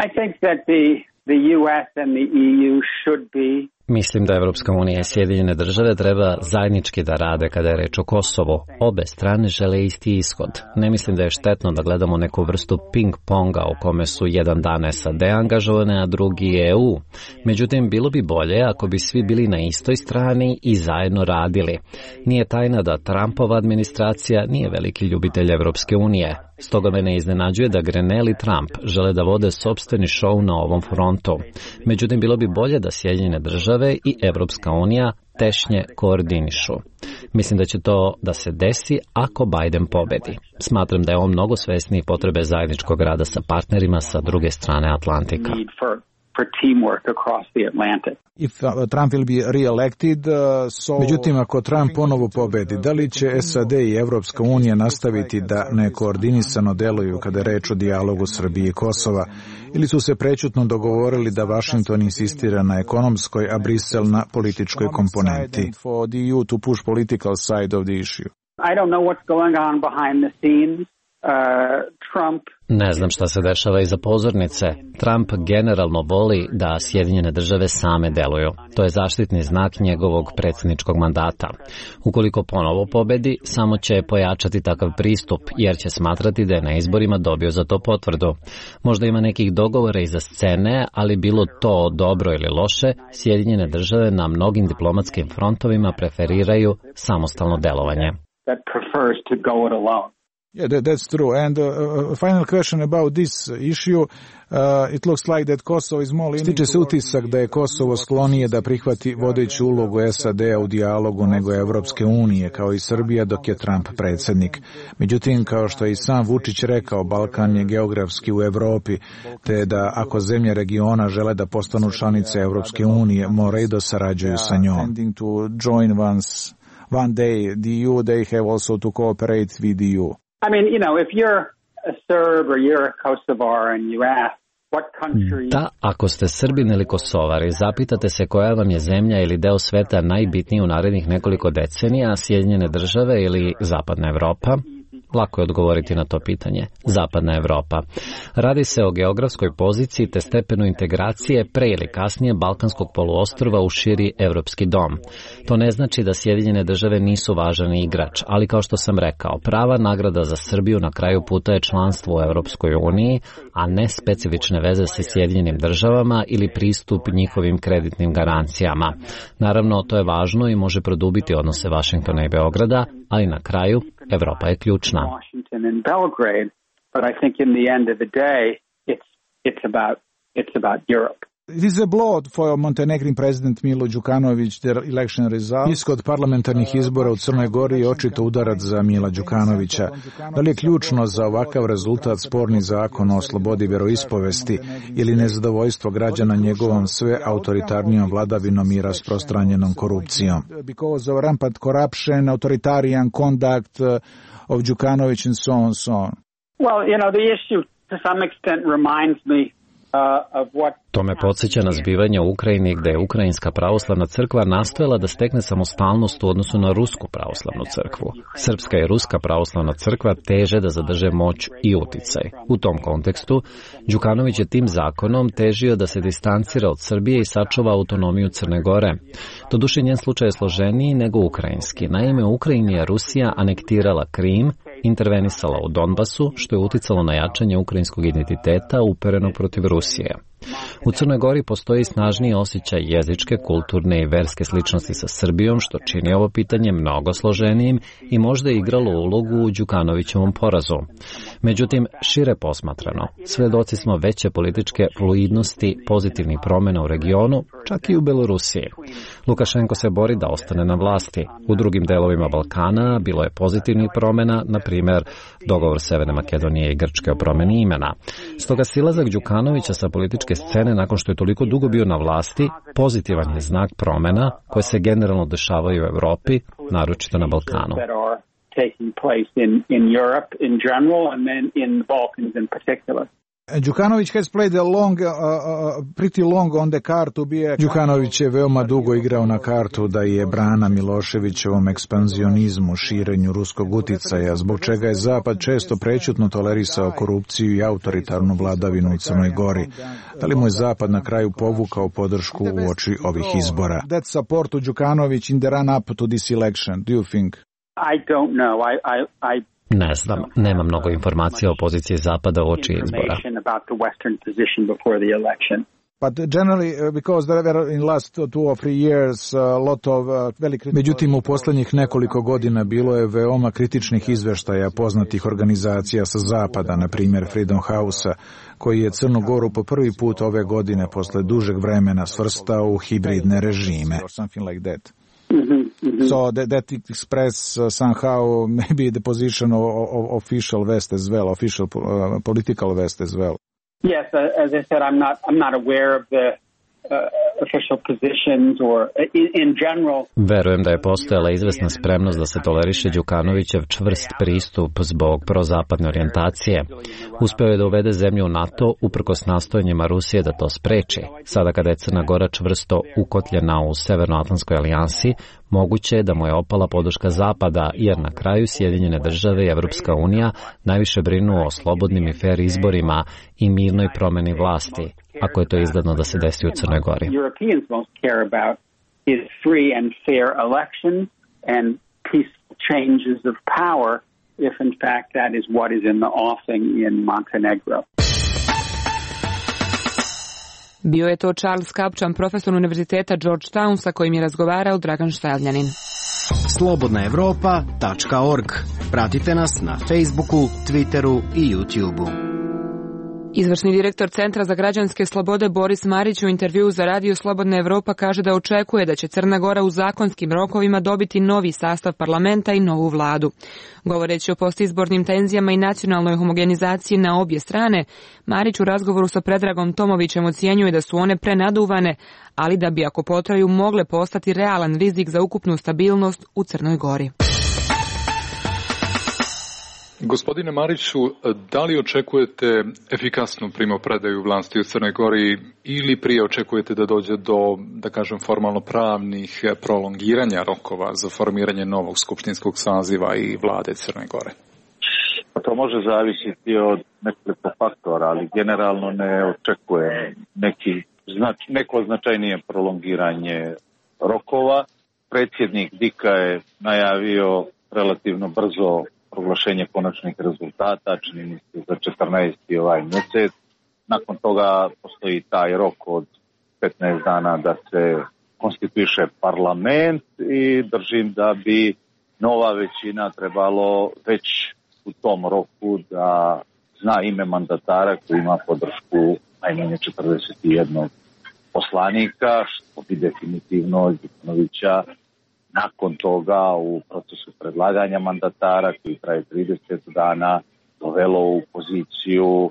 I think that the the U S and the E U should be... Mislim da Evropska unija i Sjedinjene države treba zajednički da rade kada je reč o Kosovu. Obe strane žele isti ishod. Ne mislim da je štetno da gledamo neku vrstu ping-ponga u kome su jedan dan S A D angažovane, a drugi E U. Međutim, bilo bi bolje ako bi svi bili na istoj strani i zajedno radili. Nije tajna da Trumpova administracija nije veliki ljubitelj Evropske unije. Stoga me ne iznenađuje da Grenell i Trump žele da vode sopstveni šou na ovom frontu. Međutim, bilo bi bolje da Sjedinjene države i Evropska unija tešnje koordinišu. Mislim da će to da se desi ako Biden pobedi. Smatram da je on mnogo svesniji potrebe zajedničkog rada sa partnerima sa druge strane Atlantika. for teamwork across the Atlantic. If uh, Trump will be re-elected, uh, so... Međutim, ako Trump ponovo pobedi, da li će S A D i Evropska unija nastaviti da nekoordinisano deluju kada je reč o dijalogu Srbije i Kosova, ili su se prećutno dogovorili da Washington insistira na ekonomskoj, a Brisel na političkoj komponenti? For the E U to push political side of the issue. I don't know what's going on behind the scenes. Uh, Trump Ne znam šta se dešava iza pozornice. Trump generalno voli da Sjedinjene države same deluju. To je zaštitni znak njegovog predsjedničkog mandata. Ukoliko ponovo pobedi, samo će pojačati takav pristup, jer će smatrati da je na izborima dobio za to potvrdu. Možda ima nekih dogovora iza scene, ali bilo to dobro ili loše, Sjedinjene države na mnogim diplomatskim frontovima preferiraju samostalno delovanje. that prefers to go it alone. Yeah, that, that's true. And uh, a final question about this issue. Uh, it looks like that Kosovo is more... Stiče se utisak da je Kosovo sklonije da prihvati vodeću ulogu S A D-a u dijalogu nego Evropske unije, kao i Srbija, dok je Trump predsjednik. Međutim, kao što je i sam Vučić rekao, Balkan je geografski u Evropi, te da ako zemlje regiona žele da postanu članice Evropske unije, moraju da sarađuju sa njom. To join once, one day the E U, they have also to cooperate with the E U. I mean, you know, if you're a Serb or you're a Kosovar and you ask what country... Da, ako ste Srbin ili Kosovar i zapitate se koja vam je zemlja ili deo sveta najbitniji u narednih nekoliko decenija, Sjedinjene države ili Zapadna Evropa, lako je odgovoriti na to pitanje. Zapadna Evropa. Radi se o geografskoj poziciji te stepenu integracije pre ili kasnije Balkanskog poluostrva u širi evropski dom. To ne znači da Sjedinjene države nisu važan igrač, ali kao što sam rekao, prava nagrada za Srbiju na kraju puta je članstvo u Evropskoj uniji, a ne specifične veze sa Sjedinjenim državama ili pristup njihovim kreditnim garancijama. Naravno, to je važno i može produbiti odnose Vašingtona i Beograda, ali na kraju Evropa je ključna. But I think in the end of the day, it's it's about it's about Europe. It is a blow for Montenegrin president Milo Đukanović, their election result. Ishod parlamentarnih izbora u Crnoj Gori je očito udarac za Mila Đukanovića. Da li je ključno za ovakav rezultat sporni zakon o slobodi veroispovesti ili nezadovoljstvo građana njegovom sve autoritarnijom vladavinom i rasprostranjenom korupcijom? Because of rampant corruption, authoritarian conduct of Đukanović and so on, so on. Well, you know, the issue to some extent reminds me uh, of what To me podsjeća na zbivanje u Ukrajini gde je Ukrajinska pravoslavna crkva nastojala da stekne samostalnost u odnosu na Rusku pravoslavnu crkvu. Srpska i Ruska pravoslavna crkva teže da zadrže moć i uticaj. U tom kontekstu, Đukanović je tim zakonom težio da se distancira od Srbije i sačuva autonomiju Crne Gore. Doduše, njen slučaj je složeniji nego ukrajinski. Naime, u Ukrajini je Rusija anektirala Krim, intervenisala u Donbasu, što je uticalo na jačanje ukrajinskog identiteta uperenog protiv Rusije. U Crnoj Gori postoji snažniji osjećaj jezičke, kulturne i verske sličnosti sa Srbijom, što čini ovo pitanje mnogo složenijim i možda je igralo ulogu u Đukanovićevom porazu. Međutim, šire posmatrano, svedoci smo veće političke fluidnosti, pozitivnih promjena u regionu, čak i u Belorusiji. Lukašenko se bori da ostane na vlasti. U drugim delovima Balkana bilo je pozitivnih promjena, na primjer dogovor Severne Makedonije i Grčke o promjeni imena. Stoga silazak Đukanovića sa političke scene nakon što je toliko dugo bio na vlasti, pozitivan je znak promjena koje se generalno dešavaju u Evropi, naročito na Balkanu. Đukanović has played a long, uh, uh, pretty long on the card to be a... Đukanović je veoma dugo igrao na kartu da je brana Miloševićevom ekspanzionizmu, širenju ruskog uticaja, zbog čega je Zapad često prećutno tolerisao korupciju i autoritarnu vladavinu u Crnoj Gori. Da li mu je Zapad na kraju povukao podršku u oči ovih izbora? That support to Đukanović in the run-up to this election, do you think? I don't know. I, I, I... Ne znam, nema mnogo informacija o poziciji Zapada u oči izbora. But generally, because there were in last two or three years a lot of very critical... Međutim, u posljednjih nekoliko godina bilo je veoma kritičnih izveštaja poznatih organizacija sa Zapada, na primjer Freedom House-a, koji je Crnu Goru po prvi put ove godine posle dužeg vremena svrstao u hibridne režime. Something like that. Mm-hmm, mm-hmm. So that, that express uh, somehow maybe the position of, of official West as well, official uh, political West as well. Yes, uh, as I said, I'm not I'm not aware of the uh, official positions or in, in general. Verujem da je postojala izvesna spremnost da se toleriše Đukanovićev čvrst pristup zbog prozapadne orijentacije. Uspeo je da uvede zemlju u NATO uprkos nastojanjima Rusije da to spreči. Sada kada je Crna Gora čvrsto ukotljena u Severnoatlantskoj alijansi, moguće je da mu je opala podrška Zapada, jer na kraju Sjedinjene države i Evropska unija najviše brinu o slobodnim i fair izborima i mirnoj promeni vlasti, ako je to izgledno da se desi u Crnoj Gori. Europeans most care about is free and fair elections and peaceful changes of power, if in fact that is what is in the offing in Montenegro. Bio je to Charles Kapčan, profesor Univerziteta Georgetown, sa kojim je razgovarao Dragan Štajljanin. slobodna evropa tačka org. Pratite nas na Facebooku, Twitteru i YouTubeu. Izvršni direktor Centra za građanske slobode Boris Marić u intervjuu za Radio Slobodna Evropa kaže da očekuje da će Crna Gora u zakonskim rokovima dobiti novi sastav parlamenta i novu vladu. Govoreći o postizbornim tenzijama i nacionalnoj homogenizaciji na obje strane, Marić u razgovoru sa Predragom Tomovićem ocjenjuje da su one prenaduvane, ali da bi ako potraju mogle postati realan rizik za ukupnu stabilnost u Crnoj Gori. Gospodine Mariću, da li očekujete efikasnu primopredaju vlasti u Crnoj Gori ili prije očekujete da dođe do, da kažem, formalno pravnih prolongiranja rokova za formiranje novog skupštinskog saziva i vlade Crne Gore? To može zavisiti od nekoliko faktora, ali generalno ne očekuje neki znač, neko značajnije prolongiranje rokova. Predsjednik Dika je najavio relativno brzo proglašenje konačnih rezultata, čini mi se za četrnaesti ovaj mjesec. nakon toga postoji taj rok od petnaest dana da se konstituiše parlament i držim da bi nova većina trebalo već u tom roku da zna ime mandatara koji ima podršku najmanje četrdeset jedan poslanika, što bi definitivno Đukanovića nakon toga u procesu predlaganja mandatara koji traje trideset dana dovelo u poziciju e,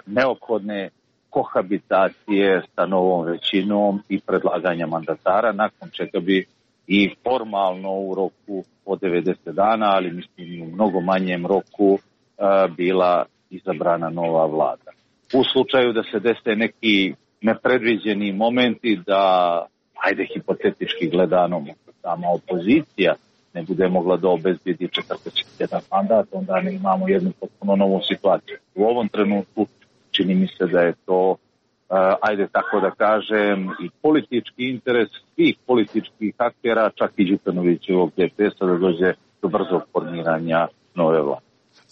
neophodne kohabitacije sa novom većinom i predlaganja mandatara, nakon čega bi i formalno u roku od devedeset dana, ali mislim u mnogo manjem roku, e, bila izabrana nova vlada. U slučaju da se dese neki nepredviđeni momenti da, ajde hipotetički gledano, sama opozicija ne bude mogla da obezbedi četrdeset jedan mandat, onda ne imamo jednu potpuno novu situaciju. U ovom trenutku čini mi se da je to, uh, ajde tako da kažem, i politički interes svih političkih aktera, čak i Đukanovićevog D P S-a, da dođe do brzog formiranja nove vlade.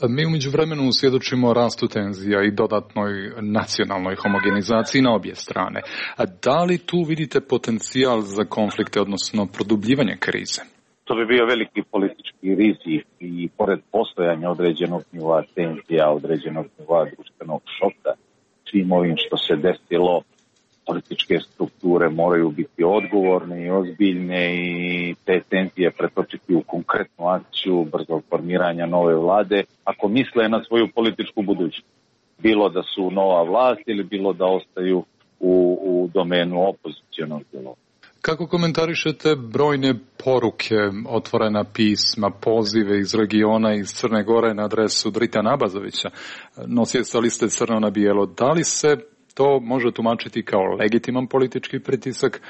Mi umeđu vremenu svjedočimo rastu tenzija i dodatnoj nacionalnoj homogenizaciji na obje strane. A da li tu vidite potencijal za konflikte, odnosno produbljivanje krize? To bi bio veliki politički rizik i pored postojanja određenog nivoa tenzija, određenog nivoa društvenog šoka, svim ovim što se desilo, političke strukture moraju biti odgovorne i ozbiljne i te tenzije pretočiti u konkretnu akciju brzog formiranja nove vlade, ako misle na svoju političku budućnost. Bilo da su nova vlast ili bilo da ostaju u, u domenu opozicionog djelovanja. Kako komentarišete brojne poruke, otvorena pisma, pozive iz regiona, iz Crne Gore na adresu Dritana Abazovića, nosioca liste Crno na bijelo? Da li se to može tumačiti kao legitiman politički pritisak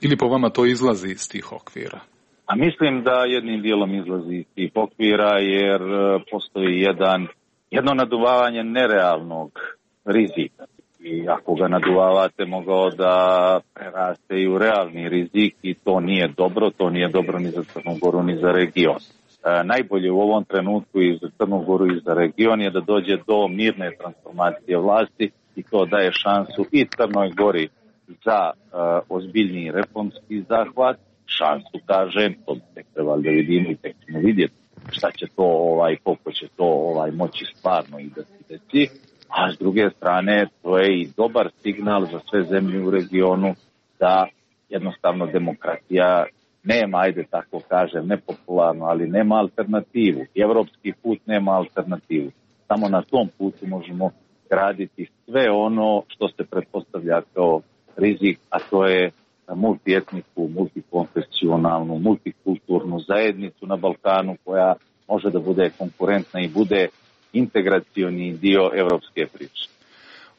ili po vama to izlazi iz tih okvira? A mislim da jednim dijelom izlazi iz tih okvira jer postoji jedan, jedno naduvavanje nerealnog rizika. I ako ga naduvavate, mogao da preraste i u realni rizik i to nije dobro, to nije dobro ni za Crnu Goru ni za region. E, najbolje u ovom trenutku i za Crnu Goru i za region je da dođe do mirne transformacije vlasti i to daje šansu i Crnoj Gori za e, ozbiljniji reformski zahvat. Šansu, kažem, to bi tek trebali da vidimo i tek ćemo vidjeti šta će to, ovaj, koliko će to ovaj, moći stvarno i da se desi. A s druge strane, to je i dobar signal za sve zemlje u regionu da jednostavno demokratija nema, ajde tako kažem, nepopularno, ali nema alternativu. Evropski put nema alternativu. Samo na tom putu možemo graditi sve ono što se pretpostavlja kao rizik, a to je multietničku, multikonfesionalnu, multikulturnu zajednicu na Balkanu koja može da bude konkurentna i bude integracioni dio evropske priče.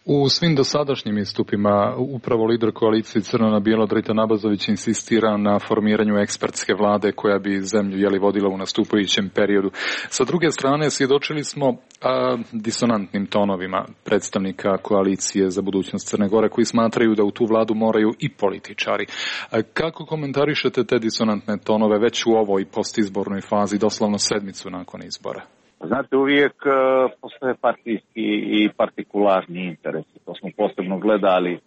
U svim dosadašnjim istupima upravo lider koalicije Crno na bijelo Dritan Abazović insistira na formiranju ekspertske vlade koja bi zemlju jeli vodila u nastupajućem periodu. Sa druge strane svjedočili smo a, disonantnim tonovima predstavnika koalicije za budućnost Crne Gore koji smatraju da u tu vladu moraju i političari. A, kako komentarišete te disonantne tonove već u ovoj postizbornoj fazi, doslovno sedmicu nakon izbora? Znate, uvijek uh, postoje partijski i partikularni interesi. To smo posebno gledali uh,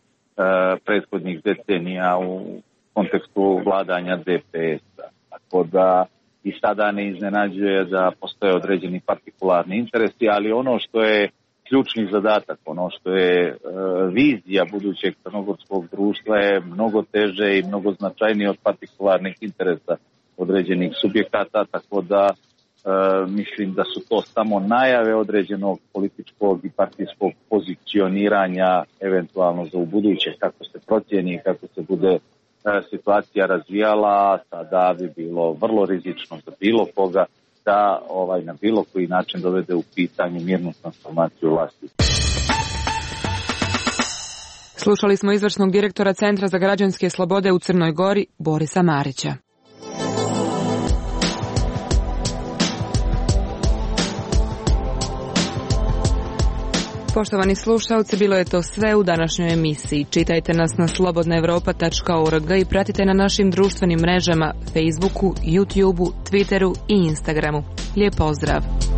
prethodnih decenija u kontekstu vladanja D P S-a. Tako da i sada ne iznenađuje da postoje određeni partikularni interesi, ali ono što je ključni zadatak, ono što je uh, vizija budućeg crnogorskog društva je mnogo teže i mnogo značajnije od partikularnih interesa određenih subjekata, tako da Uh, mislim da su to samo najave određenog političkog i partijskog pozicioniranja eventualno za ubuduće, kako se procijeni, kako se bude uh, situacija razvijala, sada bi bilo vrlo rizično za bilo koga da ovaj, na bilo koji način dovede u pitanje mirnu transformaciju vlasti. Slušali smo izvršnog direktora Centra za građanske slobode u Crnoj Gori, Borisa Marića. Poštovani slušalci, bilo je to sve u današnjoj emisiji. Čitajte nas na slobodna evropa tačka org i pratite na našim društvenim mrežama Facebooku, YouTubeu, Twitteru i Instagramu. Lijep pozdrav!